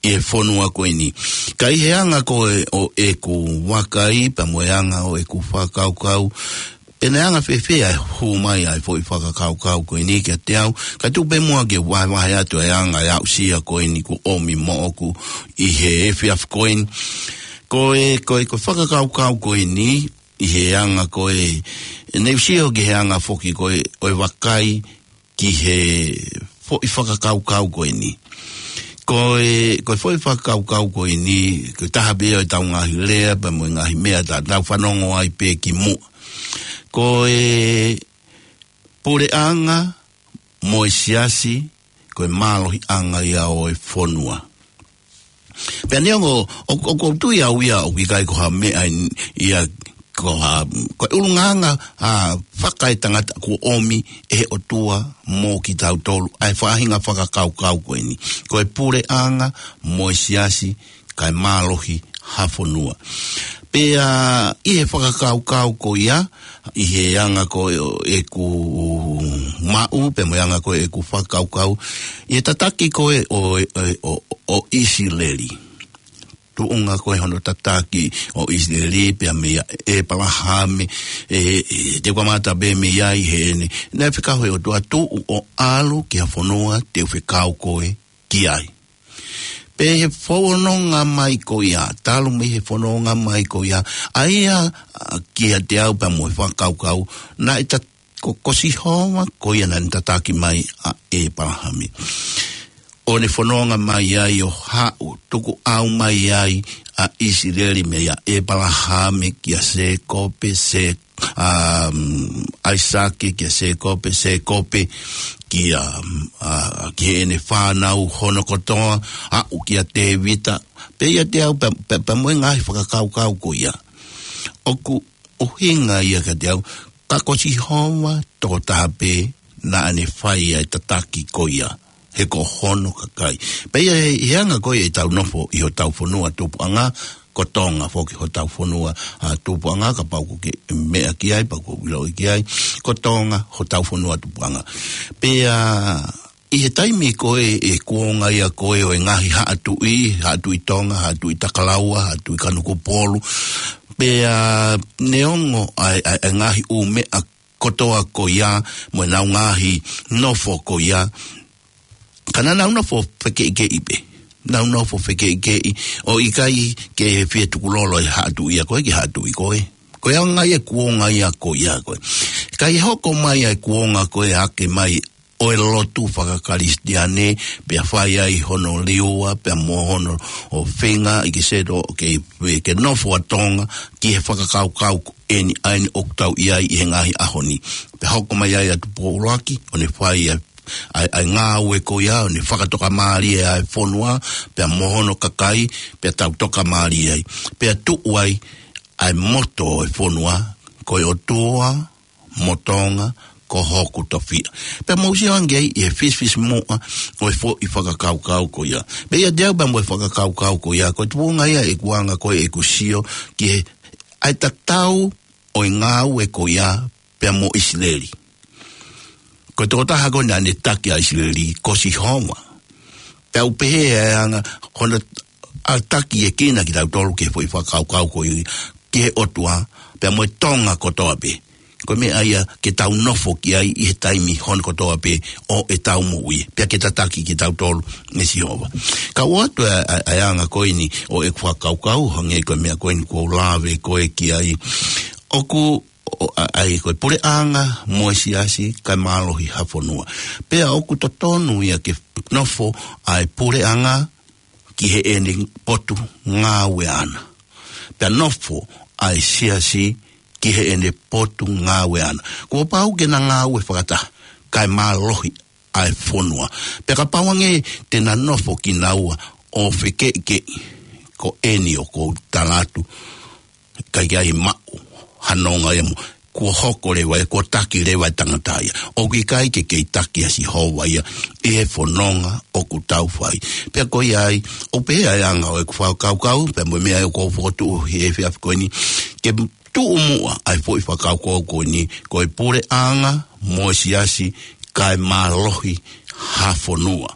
ʻi he fonua ko eni. Ka ʻi he anga ko ē ʻo ʻeku vakai, pea mo e anga ʻo ʻeku fakakaukau, pe naʻe anga fēfē ʻa e hū mai ʻa e foʻi fakakaukau ko eni kiate au, kae tuku pē muʻa ke vahevahe atu ʻa e anga ʻo e aʻusia ko eni kuo ʻomi moʻoku ʻi he efiafi ko eni. Ko e, ko e, ko e fakakaukau ko eni, ʻi he anga ko ē, ne u sio ki he anga foki ko ē ʻo e vakai ki he foʻi fakakaukau ko eni. Ko e, ko e foʻi fakakaukau ko eni, ko e taha pē ia ʻo ʻetau ngaahi lea, pea mo e ngaahi meʻa naʻa tau fanongo ai pē kimuʻa. Ko e puleʻanga mo e siasi, ko e mālohiʻanga ia ʻo e fonua. Pea neongo, ʻo, ʻoku ou tui au ia ʻoku ʻikai ko ha meʻa ia, ko ha, ko e ʻulungaanga, ʻa, fakaetangata kuo ʻomi ʻe he ʻOtua mo kitautolu, ʻa e faʻahinga fakakaukau ko eni. Ko e puleʻanga mo e siasi, kae mālohi ha fonua. Pea ʻi he fakakaukau ko ia, ʻi he anga ko ē ʻo ʻeku maʻu, pea mo e anga ko ē ʻeku fakakaukau, ʻi he tataki ko ē ʻo, ʻo, ʻo, ʻo ʻIsileli. Tuʻunga ko ē hono tataki ʻo ʻIsileli, pea meia ʻĒpalahame, ʻe, ʻe, te u kamata pē mei ai heʻene, naʻe fekau ʻe he ʻOtua tuʻu ʻo ʻalu ki ha fonua te u fekau koe ki ai. Pea ʻi he fononga mai ko ia, talu mei he fononga mai ko ia, ʻa ia, ʻa, kiate au pea mo e fakakaukau, naʻe ta-, ko, ko Sihova, ko ia naʻa ne tataki mai ʻa ʻĒpalahame. ʻO ne fononga mai ai ʻo haʻu, tukuʻau mai ai ʻa ʻIsileli meia ʻĒpalahame kia Sēkope, Sē-, ʻa, mm, ʻAisake kia Sēkope, Sēkope kia, a, ki heʻene fānau hono kotoa, aʻu kia Tēvita, pea ʻiate au, pea, pea, pea mo e ngaahi fakakaukau ko ia. ʻOku ʻuhinga ia kiate au, ka ko Sihova tokotaha pē naʻa ne fai ʻa e tataki ko ia, he ko hono kakai. Pea ʻi he, he anga ko ia ʻetau nofo ʻi hotau fonua tupuʻanga, ko Tonga foki hotau fonua, a, tupuʻanga, kapau ʻoku ke meʻa ki ai, pea ʻoku ke ʻiloʻi ki ai, ko Tonga hotau fonua tupuʻanga. Pea ʻi he taimi ko ē ʻe kuonga ia ko ē ʻo e ngaahi haʻa tuʻi, haʻa tuʻi Tonga, haʻa tuʻi Takalaua, haʻa tuʻi Kanokupolu. Pea neongo ʻa e, ʻa e, ʻa e ngaahi ʻū meʻa kotoa ko ia, mo ʻenau ngaahi nofo ko ia. Ka naʻa nau nofo fekeʻikeʻi pē. Nau nofo fekeʻikeʻi, ʻo ʻikai ke fie tukulolo e haʻa tuʻi ia ko ē ki he haʻa tuʻi ko ē. Ko e anga ia e kuonga ia ko ia ko ē. Ka ʻi he hoko mai ʻa e kuonga ko ē ake mai ʻo e lotu fakakalisitiane, pea fai ai hono liua, pea mo hono ʻo feinga ʻi ke seto, ke, ke nofo ʻa Tonga, ki he fakakaukau ko eni ʻa eni ʻoku tau ʻi ai ʻi he ngaahi ʻaho ni. Pea hoko mai ai ʻa Tupou ʻUluaki, ʻo ne fai ʻa, ʻa, ʻa e ngāue ko ia, ʻo ne fakatokamālie ʻa e fonua, pea mo hono kakai, pea tau tokamālie ai. Pea tuʻu ai, ʻa e moto ʻo e fonua, ko e ʻOtua mo Tonga, ko hoku tofiʻa. Pea mou sio ange ai ʻi he fisifisimuʻa ʻo e foʻi fakakaukau ko ia. Pea ʻiate au pea mo e fakakaukau ko ia, ko e tuʻunga ia ʻeku anga ko ē ʻeku sio ki he ʻa e tatau ʻo e ngāue ko ia pea mo ʻIsileli. Ko e tokotaha ko ē naʻa ne taki ʻa ʻIsileli, ko Sihova. Pea u pehē ʻa e anga hono ʻa e taki ʻe kina kitautolu ki he foʻi fakakaukau ko ia, ki he ʻOtua, pea mo e Tonga kotoa pē. Ko e meʻa ia ke tau nofo ki ai ʻi he taimi hono kotoa pē ʻo ʻetau moʻui, pea ke tataki kitautolu ʻe Sihova. Ka ʻoatu ʻa e, ʻa e, ʻa e anga ko eni ʻo ʻeku fakakaukau, hangē ko e meʻa ko eni kuo u lave ko ē ki ai. ʻOku, ʻo, ʻa, ʻa e ko e puleʻanga mo e siasi kae mālohi ha fonua. Pea ʻoku totonu ia ke nofo ʻa e puleʻanga ki heʻene potu ngāue ʻana. Pea nofo ʻa e siasi ki heʻene potu ngāue ʻana. Kuo pau ke na ngāue fakataha, kae mālohi ʻa e fonua. Pea kapau ange te na nofo kinaua ʻo fekeʻikeʻi, ko eni ʻoku ou tala atu, ʻikai ke ʻi ai maʻu ha nonga ia mo, kuo hoko leva ia, kuo taki leva e tangata ia. ʻOku ʻikai ke kei taki ʻa Sihova ia ʻi he fononga ʻoku tau fai. Pea ko ia ai, ʻoku pehē ʻa e anga ʻo ʻeku fakakaukau, pea mo e meʻa ʻoku ou fokotuʻu he efiafi ko eni, ke tuʻu muʻa ʻa e foʻi fakakaukau ko eni, ko e puleʻanga mo e siasi kae mālohi ha fonua.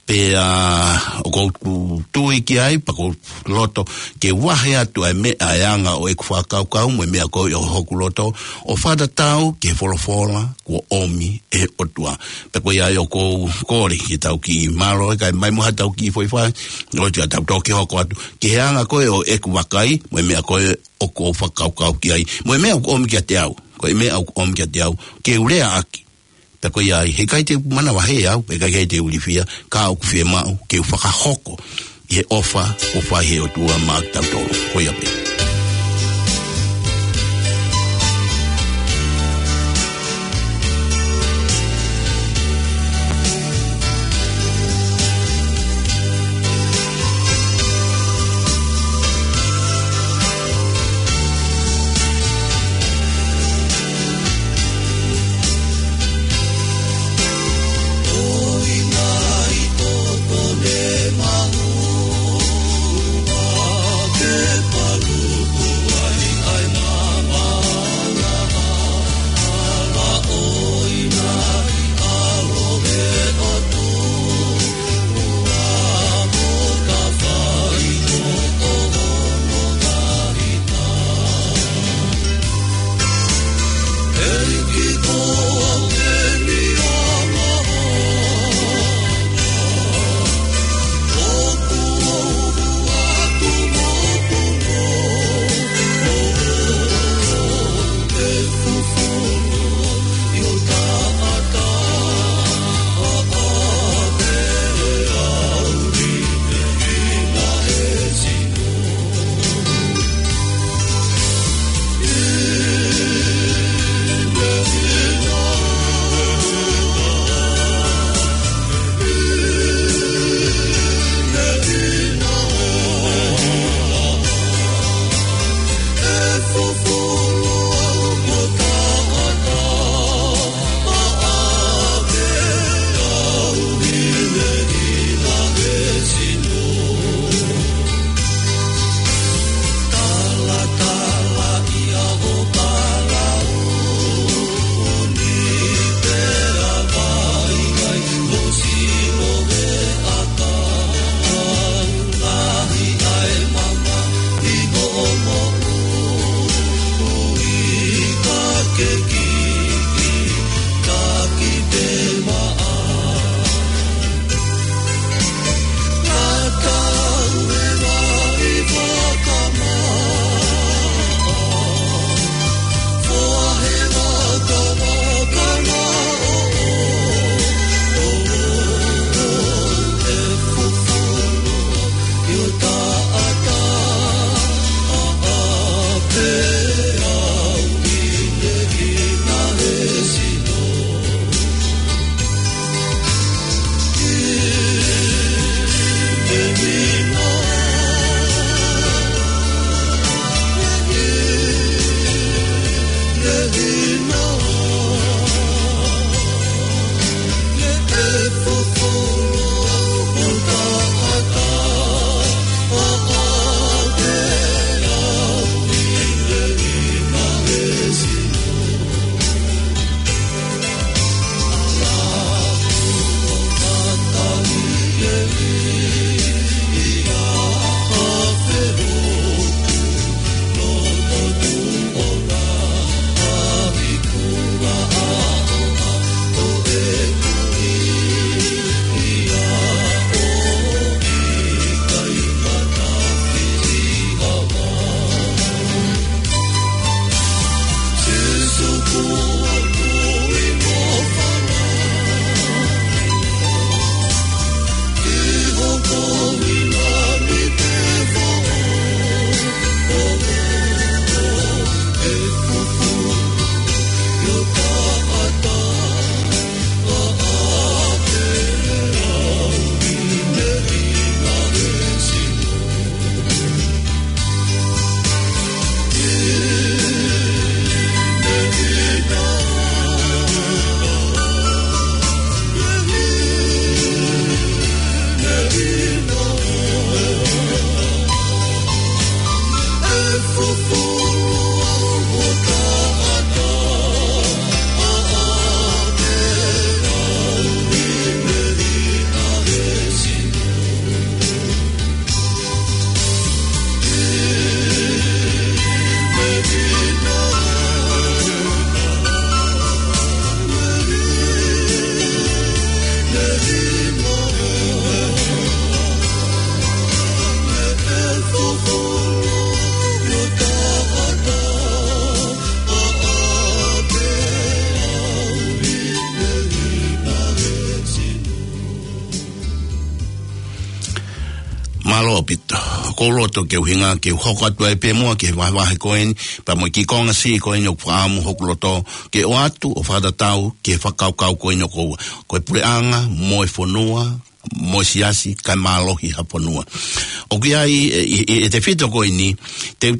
Pea ʻoku ou tui ki ai, pea ʻoku ou loto ke vahe atu ʻa e meʻa ʻa e anga ʻo ʻeku fakakaukau mo e meʻa ko ē ʻo hoku loto, ʻo fakatatau ki he folofola kuo ʻomi ʻe he ʻOtua. Pea ko ia ai ʻoku ou kole ke tau kiʻi mālō, ʻikai mai mo ha tau kiʻi foʻi fai, ʻo te tau toki hoko atu ki he anga ko ē ʻo ʻeku vakai, mo e meʻa ko ē ʻoku ou fakakaukau ki ai, mo e meʻa ʻoku ʻomi kiate au, ko e meʻa ʻoku ʻomi kiate au ke u leaʻaki. Pea ko ia ai, heʻikai te u manavahē au, heʻikai te u ilifia, ka ʻoku fiemaʻu ke u fakahoko ʻi he ʻofa ʻoku fai ʻe he ʻOtua maʻa kitautolu. Ko ia pē. Mālō ʻaupito. ʻOku ou loto ke u hinga ke u hoko atu ai pē muʻa ki he vahevahe ko eni, pea mo e kiʻi konga siʻi ko eni ʻoku fakaʻamu hoku loto ke ʻoatu ʻo fakatatau ki he fakakaukau ko eni ʻoku ou, ko e puleʻanga, mo e fonua, mo e siasi, kae mālohi ha fonua. ʻOku ʻi ai, ʻe, ʻe, ʻe, ʻe tefito ko eni, te,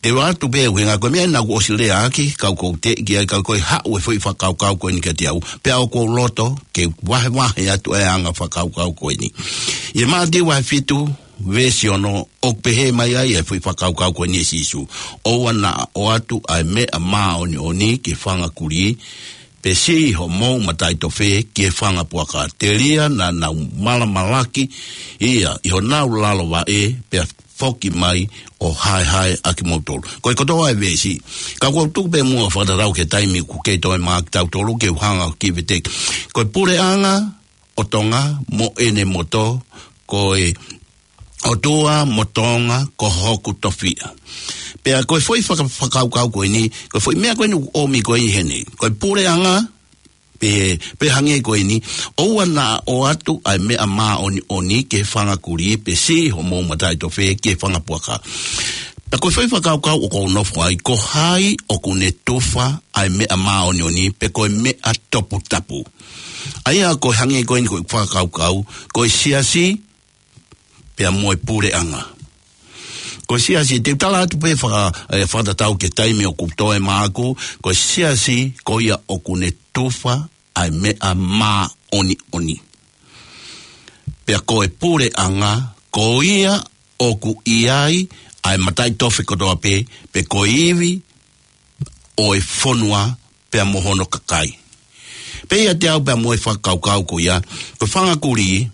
te u ʻoatu pē ʻuhinga ko e meʻa naʻa ku ʻosi lea ʻaki, ka ʻoku ou teʻeki ai, ka ko e haʻu e foʻi fakakaukau ko eni kiate au. Pea ʻoku ou loto ke vahevahe atu e anga fakakaukau ko eni. ʻI he Mātiu vahe fitu, veesi ono, ʻoku pehē mai ai e foʻi fakakaukau ko eni ʻe Sīsū. ʻOua naʻa ʻoatu ʻa e meʻa māʻoniʻoni ki he fanga kulī, pe siʻi homou mataʻitofe ki he fanga puaka. Telia naʻa nau malamalaki ia ʻi honau lalo vaʻe, pea foki mai ʻo haehae ʻa kimoutolu. Ko e kotoa e veesi. Ka ʻoku ou tuku pē muʻa fakatatau ki he taimi ʻoku kei toe maʻa kitautolu ke u hanga ʻo kiʻi veteki. Ko e puleʻanga ʻo Tonga mo ʻene moto, ko e ʻOtua mo Tonga ko hoku tofiʻa. Pea ko e foʻi faka-, fakakaukau ko eni, ko e foʻi meʻa ko eni ʻoku ʻomi ko eni heni. Ko e puleʻanga, pe, pe hangē ko eni, ʻoua naʻa ʻoatu ʻa e meʻa māʻoniʻoni ki he fanga kulī, pe siʻi homou mataʻitofe ki he fanga puaka. Pea ko e foʻi fakakaukau ʻoku ou nofo ai, ko hai ʻoku ne tufa ʻa e meʻa māʻoniʻoni, pe ko e meʻa toputapu. ʻA ia ko e hangē ko eni ko e fakakaukau, ko e siasi, pea mo e puleʻanga. Ko e siasi, te u tala atu pē faka-, ʻe, fakatatau ki he taimi ʻoku toe maʻaku, ko e siasi, ko ia ʻoku ne tufa ʻa e meʻa māʻoniʻoni. Pea ko e puleʻanga, ko ia ʻoku ʻi ai ʻa e mataʻitofe kotoa pē, pe ko e ivi ʻo e fonua pea mo hono kakai. Pea ʻiate au pea mo e fakakaukau ko ia, ko e fanga kulī,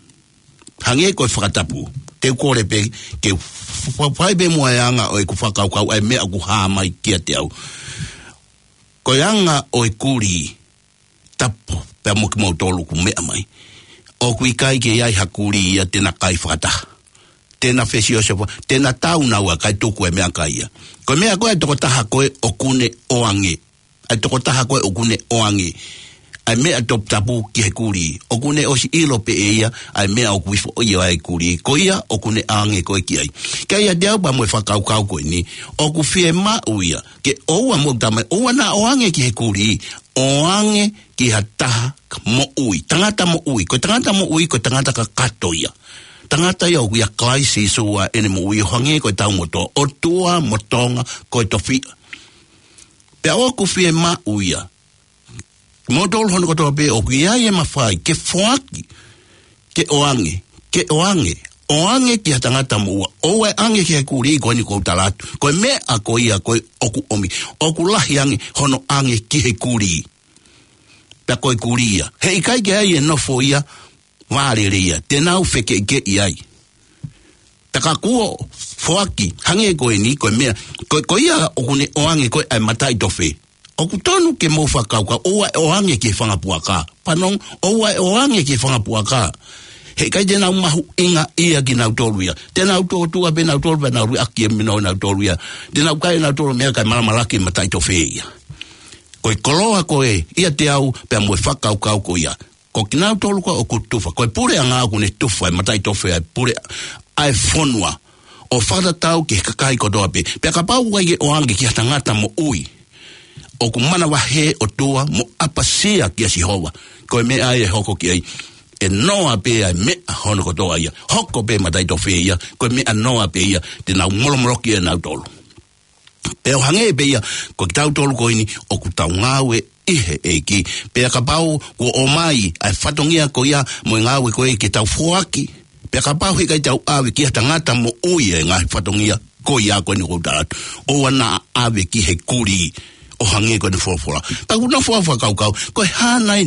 hangē ko e fakatapu, te u kole pē ke u fa-, fai pē muʻa e anga ʻo ʻeku fakakaukau ʻa e meʻa ʻoku hā mai kiate au. Ko e anga ʻo e kulī, tapu, pea mo kimoutolu ʻoku meʻa mai. ʻOku ʻikai ke ʻi ai ha kulī ia te na kai fakataha. Te na fesiosio fa-, te na tau naua kae tuku e meʻakai ia. Ko e meʻa ko ē ʻa e tokotaha ko ē ʻoku ne ʻoange. ʻA e tokotaha ko ē ʻoku ne ʻoange ʻa e meʻa toputapu ki he kulī. ʻOku ne ʻosi ʻilo pē ʻe ia ʻa e meʻa ʻoku ifo ʻi ai e kulī. Ko ia ʻoku ne ʻoange ko ē ki ai. Ka ʻiate au pea mo e fakakaukau ko eni, ʻoku fiemaʻu ia ke ʻoua, mou tala mai, ʻoua naʻa ʻoange ki he kulī, ʻoange ki ha taha moʻui. Tangata moʻui, ko e tangata moʻui, ko e tangata kakato ia. Tangata ia ʻoku ʻia Kalaisi Sīsū ʻa ʻene moʻui, ʻo hangē ko e tau moto, ʻOtua mo Tonga ko e tofiʻa. Pea ʻoku fiemaʻu ia, kimoutolu hono kotoa pē ʻoku ʻi ai e mafai ke foaki, ke ʻoange, ke ʻoange, ʻoange ki ha tangata moʻua. ʻOua ʻe ʻange ki he kulī ko eni ʻoku ou tala atu. Ko e meʻa ko ia ko ē ʻoku ʻomi, ʻoku lahi ange hono ʻange ki he kulī. Pea ko e kulī ia, he ʻikai ke ʻi ai e nofo ia vālele ia, te nau fekeʻikeʻi ai. Pea ka kuo foaki, hangē ko eni, ko e meʻa, ko, ko ia ʻoku ne ʻoange ko ē ʻa e mataʻitofe. ʻOku tonu ke mou fakakaukau, ʻoua ʻe ʻoange ki he fanga puaka. Fanongo, ʻoua ʻe ʻoange ki he fanga puaka. He ʻikai te nau mahuʻingaʻia kinautolu ia. Te nau tōtua pē nautolu, pea nau liʻaki e mino nautolu ia. Te nau kai nautolu meʻa kae malamalaki mataʻitofe ia. Ko e koloa ko ē, ʻiate au, pea mo e fakakaukau ko ia. Ko kinautolu ko ē ʻoku tufa, ko e puleʻanga ʻoku ne tufa e mataʻitofe ʻa e pule, ʻa e fonua. ʻO fakatatau ki he kakai kotoa pē. Pea kapau ʻoku ʻikai ke ʻoange ki ha tangata moʻui, ʻoku manavahē ʻOtua mo ʻapasia kia Sihova. Ko e meʻa ia ʻe hoko ki ai, ʻe noa pē ʻa e meʻa hono kotoa ia. Hoko pē mataʻitofe ia, ko e meʻa noa pē ia, te nau molomoloki ʻe nautolu. Pea ʻo hangē pē ia, ko kitautolu ko eni ʻoku tau ngāue ʻi he ʻEiki. Pea kapau kuo ʻomai ʻa e fatongia ko ia mo e ngāue ko ē ke tau foaki. Pea kapau he ʻikai te tau ʻave ki ha tangata moʻui e ngaahi fatongia ko ia ko eni ʻoku ou tala atu, ʻoua naʻa ʻave ki he kulī, ʻo hangē ko eni folofola. Pea ʻoku ou nofo au ʻo fakakaukau, ko e hā nai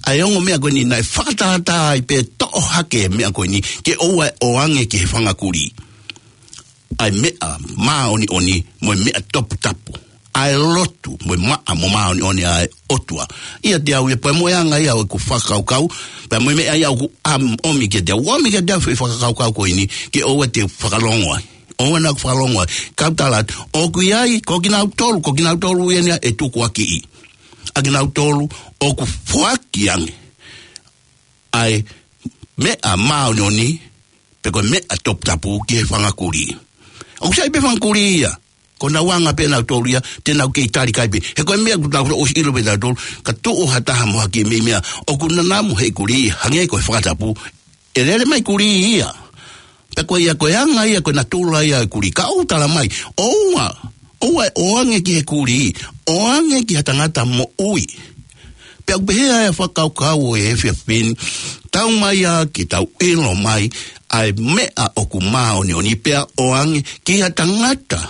ʻa e ongo meʻa ko eni naʻe fakatātā ai pē toʻo hake e meʻa ko eni, ke ʻoua ʻe ʻoange ki he fanga kulī ʻa e meʻa māʻoniʻoni mo e meʻa toputapu, ʻa e lotu mo e maʻa mo māʻoniʻoni ʻa e ʻOtua. ʻIate au ia pea mo e anga ia ʻo ʻeku fakakaukau, pea mo e meʻa ia ʻoku ʻam-, ʻomi kiate au, ʻomi kiate au e foʻi fakakaukau ko eni, ke ʻoua te u fakalongo ai. ʻOua naʻa ku fakalongo ai. Kau tala atu, ʻoku ʻi ai, ko kinautolu, ko kinautolu ia ʻe tukuakiʻi. ʻA kinautolu ʻoku foaki ange ʻa e meʻa māʻoniʻoni, pe ko e meʻa toputapu ki he fanga kulī. ʻOku sai pē fanga kulī ia, ko honau anga pē ʻanautolu ia, te nau kei tali kai pē. He ko e meʻa ʻoku tau ʻosi ʻilo pē ʻe tautolu, ka tuʻu ha taha mo hake mei meʻa, ʻoku nanamu he kulī, hangē ko e fakatapu, ʻe lele mai kulī ia. Pea ko ia ko e anga ia, ko e natula ia e kulī. Ka ʻoku tala mai, ʻoua, ʻoua ʻoange ki he kulī, ʻoange ki ha tangata moʻui. Pea ʻoku pehē ʻa e fakakaukau ʻo e efiafi ni, tau mai ā ke tau ʻilo mai ʻa e meʻa ʻoku māʻoniʻoni pea ʻoange ki ha tangata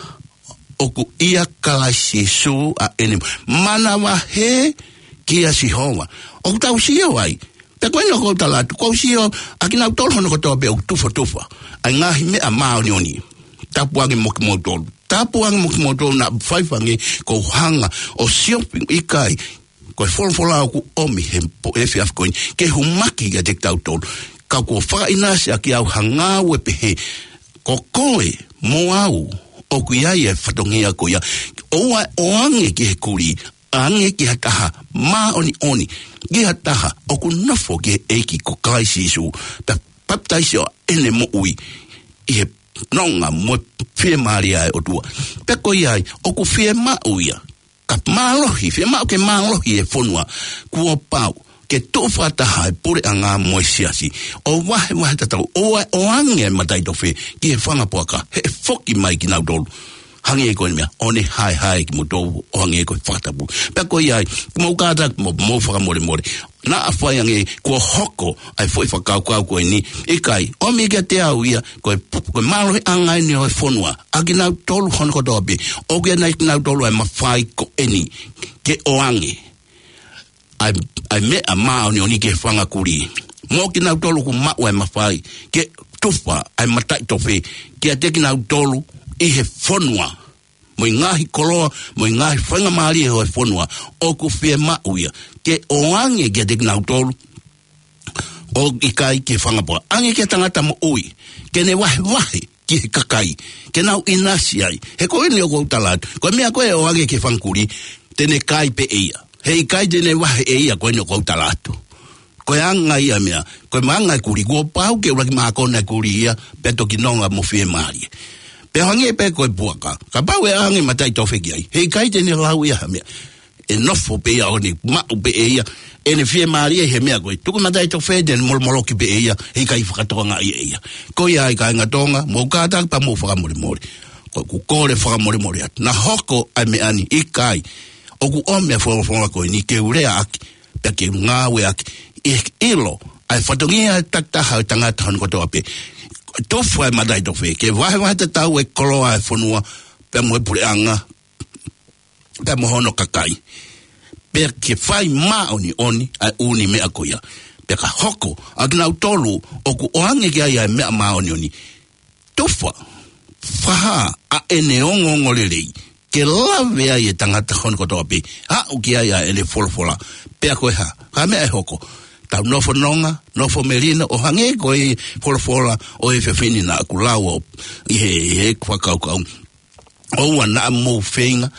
ʻoku ʻia Kalaisi Sīsū ʻa ʻene manavahē kia Sihova. ʻOku tau sio ai, pea ko eni ʻoku ou tala atu, ʻoku ou sio ʻa kinautolu hono kotoa pē ʻoku tufatufa ʻa e ngaahi meʻa māʻoniʻoni. Tapu ange mo kimoutolu. Tapu ange mo kimoutolu naʻa faifangē, ʻoku ou hanga ʻo siofi ʻikai. Ko e folofola ʻoku ʻomi he po-, efiafi ko eni, ke humaki kiate kitautolu. Ka kuo fakaʻinasi ʻaki au ha ngāue pehē, ko koe mo au ʻoku ʻi ai e fatongia ko ia. ʻOua ʻoange ki he kulī, ʻoange ki ha taha māʻoniʻoni, ki ha taha ʻoku nofo ki he ʻEiki ko Kalaisi Sīsū, pea papitaiso ʻene moʻui ʻi he nonga mo e fiemālie ʻa e ʻOtua. Pea ko ia ai, ʻoku fiemaʻu ia ka mālohi, fiemaʻu ke mālohi e fonua, kuo pau ke tuʻu fakataha e puleʻanga mo e siasi, ʻo vahevahe tatau, ʻoua ʻoange e mataʻitofe ki he fanga puaka, he ʻe foki mai kinautolu. Hangē ko e meʻa, ʻo ne haehae kimoutolu, ʻo hangē ko e fakatapu. Pea ko ia ai, mou kātaki mo, mou fakamolemole. Naʻa fai ange kuo hoko ʻa e foʻi fakakaukau ko eni, ʻikai, ʻomi kiate au ia, ko e pu-, ko e mālohiʻanga eni ʻo e fonua, ʻa kinautolu hono kotoa pē, ʻoku ʻiate kinautolu ʻa e mafai ko eni, ke ʻoange ʻa e, ʻa e meʻa māʻoniʻoni ki he fanga kulī. Mo kinautolu ʻoku maʻu ʻa e mafai, ke tufa ʻa e mataʻitofe, kiate kinautolu ʻi he fonua. Mo e ngaahi koloa, mo e ngaahi faingamālie ʻo e fonua, ʻoku fiemaʻu ia ke ʻoange kiate kinautolu, ʻo ʻikai ki he fanga puaka. ʻAnge ki he tangata moʻui, ke ne vahevahe ki he kakai, ke nau ʻinasi ai. He ko eni ʻoku ou tala atu, ko e meʻa ko ē ʻoange ki he fanga kulī, te ne kai pē ʻe ia. He ʻikai te ne vahe ʻe ia, ko eni ʻoku ou tala atu. Ko e anga ia meʻa, ko e anga e kulī, kuo pau ke ʻuluaki mākona e kulī ia, pea toki nonga mo fiemālie. Pea hangē pē ko e puaka, kapau ʻe ʻoange mataʻitofe ki ai, he ʻikai te ne lau ia ha meʻa. ʻE nofo pē ia ʻo ne maʻu pē ʻe ia ʻene fiemālie he meʻa ko ē. Tuku mataʻitofe te ne molomoloki pē ʻe ia, he ʻikai fakatokangaʻi ʻe ia. Ko ia ai kāinga Tonga, mou kātaki pea mou fakamolemole. Ko ʻeku kole fakamolemole atu. Naʻa hoko ʻa e meʻa ni, ʻikai. ʻOku ʻomi ʻa e folofola ko eni ke u lea ʻaki, pea ke u ngāueʻaki, ʻi he ʻilo ʻa e fatongia takitaha ʻo e tangata hono kotoa pē. Tufa e mataʻitofe, ke vahevahe tatau e koloa e fonua, pea mo e puleʻanga, pea mo hono kakai. Pea ke fai māʻoniʻoni ʻa e ʻū meʻa ko ia. Pea ka hoko ʻa kinautolu ʻoku ʻoange ki ai ʻa e meʻa māʻoniʻoni, tufa, fakahā ʻa ʻene ongoongolelei, ke lave ai e tangata hono kotoa pē, aʻu ki ai ʻa ʻene folofola. Pea ko e hā, ko e meʻa ʻe hoko, tau nofo nonga, nofo melino, ʻo hangē ko e folofola ʻo e efiafi ni naʻa ku lau ʻi he, he fakakaukau. ʻOua naʻa mou feinga,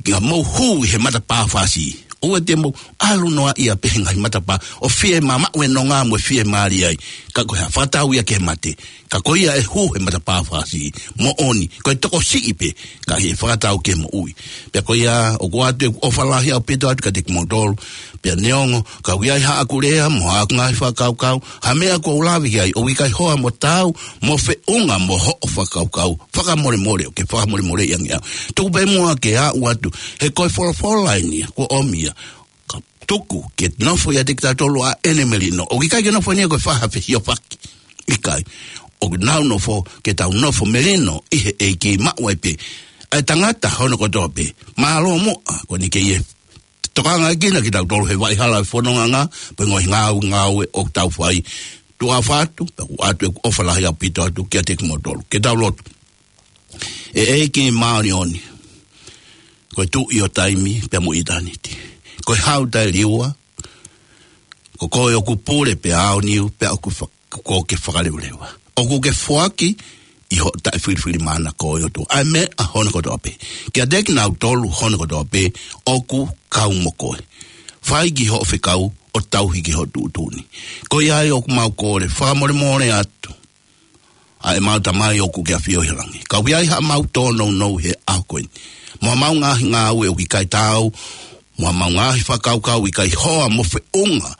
ka mou hū ʻi he matapā fāsiʻi. ʻOua te mou ʻalu noa ia pē he ngaahi matapā ʻo fiemālie, maʻu e nonga mo e fiemālie ai. Ka ko e hā, fakatau ia ki he mate. Ka ko ia ʻe hū he matapā fāsiʻi. Moʻoni, ko e tokosiʻi pē, ka ʻi he fakatau ki he moʻui. Pea ko ia, ʻoku ʻoatu ʻeku ʻofa lahi ʻaupito atu kiate kimoutolu. Pea neongo, ka ʻoku ʻi ai haʻaku lea mo haʻaku ngaahi fakakaukau, ha meʻa kuo u lave ki ai, ʻoku ʻikai hoa mo taau mo feʻunga mo hoʻo fakakaukau, fakamolemole, ʻoku ke fakamolemoleʻi ange au. Tuku pē muʻa ke u ʻoatu, he ko e folofola eni ia, kuo ʻomi ia. Ka tuku ke nofo ʻiate kitautolu ʻa ʻene melino. ʻOku ʻikai ke nofo eni ia ko e fai ha fesiofaki. ʻIkai. ʻOku nau nofo, ke tau nofo melino ʻi he ʻEiki, maʻu ai pē ʻa e tangata hono kotoa pē. Mālō muʻa, ko eni ke ʻi he tokangaʻi kinautolu he vaʻa hala e fononga, pea ngaahi ngāue, ngāue ʻoku tau fai. Tuʻa ʻofa atu, pea ʻoku ʻoatu ʻeku ʻofa lahi ʻaupito atu kiate kimoutolu. Ke tau lotu. ʻE ʻEiki māʻoniʻoni, ko e Tuʻi ʻo taimi pea mo ʻitāniti. Ko e Hau taʻeliua, ko koe ʻoku pule pea aoniu, pea ʻoku fa-, ko koe ke fakaleveleva. ʻOku ke foaki ʻi hoʻo taʻefilifilimānako ʻe ʻOtua ʻa e meʻa hono kotoa pē. Kiate kinautolu hono kotoa pē ʻoku kau mo koe. Fai ki hoʻo fekau ʻo tauhi ki hoʻo tuʻutuʻuni. Ko ia ai ʻoku mau kole fakamolemole atu. ʻa ʻemau Tamai ʻoku ʻi he ʻAfio ʻi he langi. Ka ʻoku ʻi ai haʻamau tōnounou he ʻaho ko eni. Mo haʻamau ngaahi ngāue ʻoku ʻikai taau, mo haʻamau ngaahi fakakaukau ʻikai hoa mo feʻunga,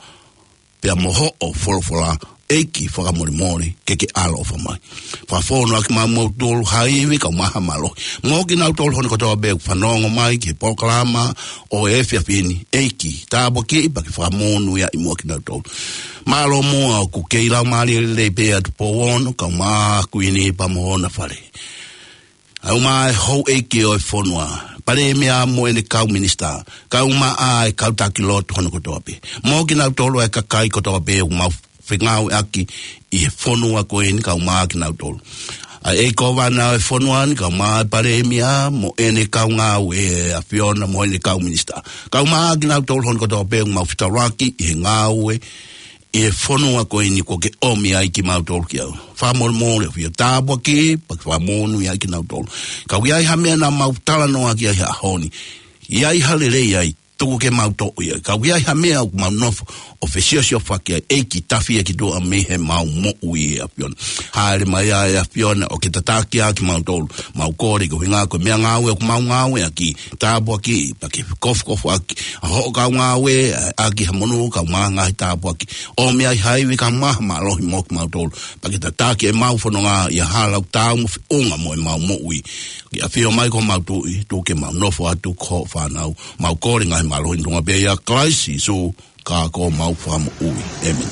pea mo hoʻo folofola, ʻEiki fakamolemole ke ke ʻaloʻofa mai. Fakafonu ʻaki maʻa kimautolu ha ivi kae ʻumaʻā ha mālohi. Mo kinautolu hono kotoa pē ʻoku fanongo mai ki he polokalama ʻo e efiafi ni, ʻEiki, tāpuakiʻi pea ke fakamonūʻia ʻi muʻa kinautolu. Mālō muʻa ʻoku kei laumālie lelei pē ʻa Tupou Ono, kae ʻumaʻā Kuini pea mo hona fale. ʻUmaʻā e houʻeiki ʻo e fonua, Palēmia mo ʻene kau minisitā, kae ʻumaʻā e kau taki lotu hono kotoa pē. Mo kinautolu e kakai kotoa pē ʻoku mau fengāueʻaki ʻi he fonua ko eni kae ʻumaʻā kinautolu. ʻA e ʻEiki Kōvana ʻo e fonua ni kae ʻumaʻā e Palēmia mo ʻene kau ngāue, ʻa e ʻAfiona mo ʻene kau minisitā. Kae ʻumaʻā kinautolu hono kotoa pē ʻoku mau fetaulaki ʻi he ngāue ʻi he fonua ko eni kuo ke ʻomi ai kimautolu ki ai. Fakamolemole ʻAfio, tāpuakiʻi pea ke fakamonūʻia kinautolu. Ka ʻoku ʻi ai ha meʻa naʻa mau talanoa ki ai he ʻaho ni, ʻi ai ha lelei ai, tuku ke mau toʻo ia. Ka ʻoku ʻi ai ha meʻa ʻoku mau nofo ʻo fesiosiofaki ai, ʻEiki, tafi ia ki tuʻa mei heʻemau moʻui ʻe ʻAfiona. Hāʻele mai ʻa e ʻAfiona ʻo ke tataki ʻa kimautolu. Mau kole koeʻuhinga ko e meʻangāue ʻoku mau ngāueʻaki, tāpuakiʻi pea ke kofukofuʻaki ʻa hoʻo kau ngāue, ʻaki ha monū kae ʻumaʻā e ngaahi tāpuaki. ʻOmi ai ha ivi kae ʻumaʻā ha mālohi mo kimautolu. Pea ke tataki ʻemau fononga ʻi he hala ʻoku taau mo feʻunga mo ʻemau moʻui. Ke ʻafio mai ko homau Tuʻi, tuku ke mau nofo atu ko hoʻo fānau. Mau kole e ngaahi mālohi ni ʻi he huafa pē ʻo Kalaisi Sīsū, ka ko homau Fakamoʻui. ʻĒmeni.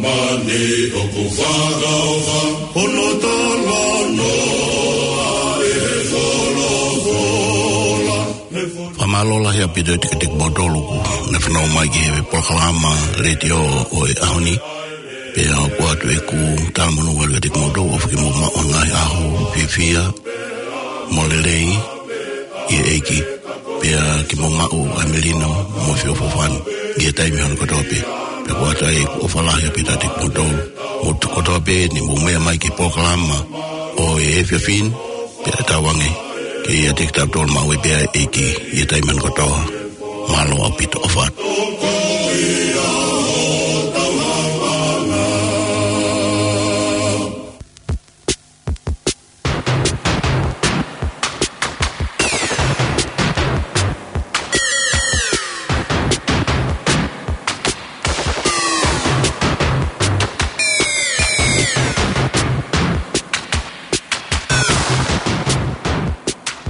Māmani ʻoku fakaʻofa, hono talanoa ʻe he folofola. Fakamālō lahi ʻaupito ʻiate kimoutolu ʻoku ne fanongo mai ki he polokalama letiō ʻo e ʻaho ni. Pea ʻoku ʻoatu ʻeku talamonū atu kiate kimoutolu ʻofa ke mou maʻu ha ngaahi ʻaho fiefia mo lelei ʻi he ʻEiki. Pea ke mou maʻu ʻa e melino mo e feʻofoʻofani ʻi he taimi hono kotoa pē. Pea ʻoku ʻoatu ai ʻeku ʻofa lahi ʻaupito ʻiate kimoutolu. Mo e kotoa pē ne mou meʻa mai ki he polokalama ʻo e efiafi ni, pea tauange ke ʻiate kitautolu maʻu ai pē ʻa e ʻEiki ʻi he taimi hono kotoa. Mālō ʻaupito, ʻofa atu.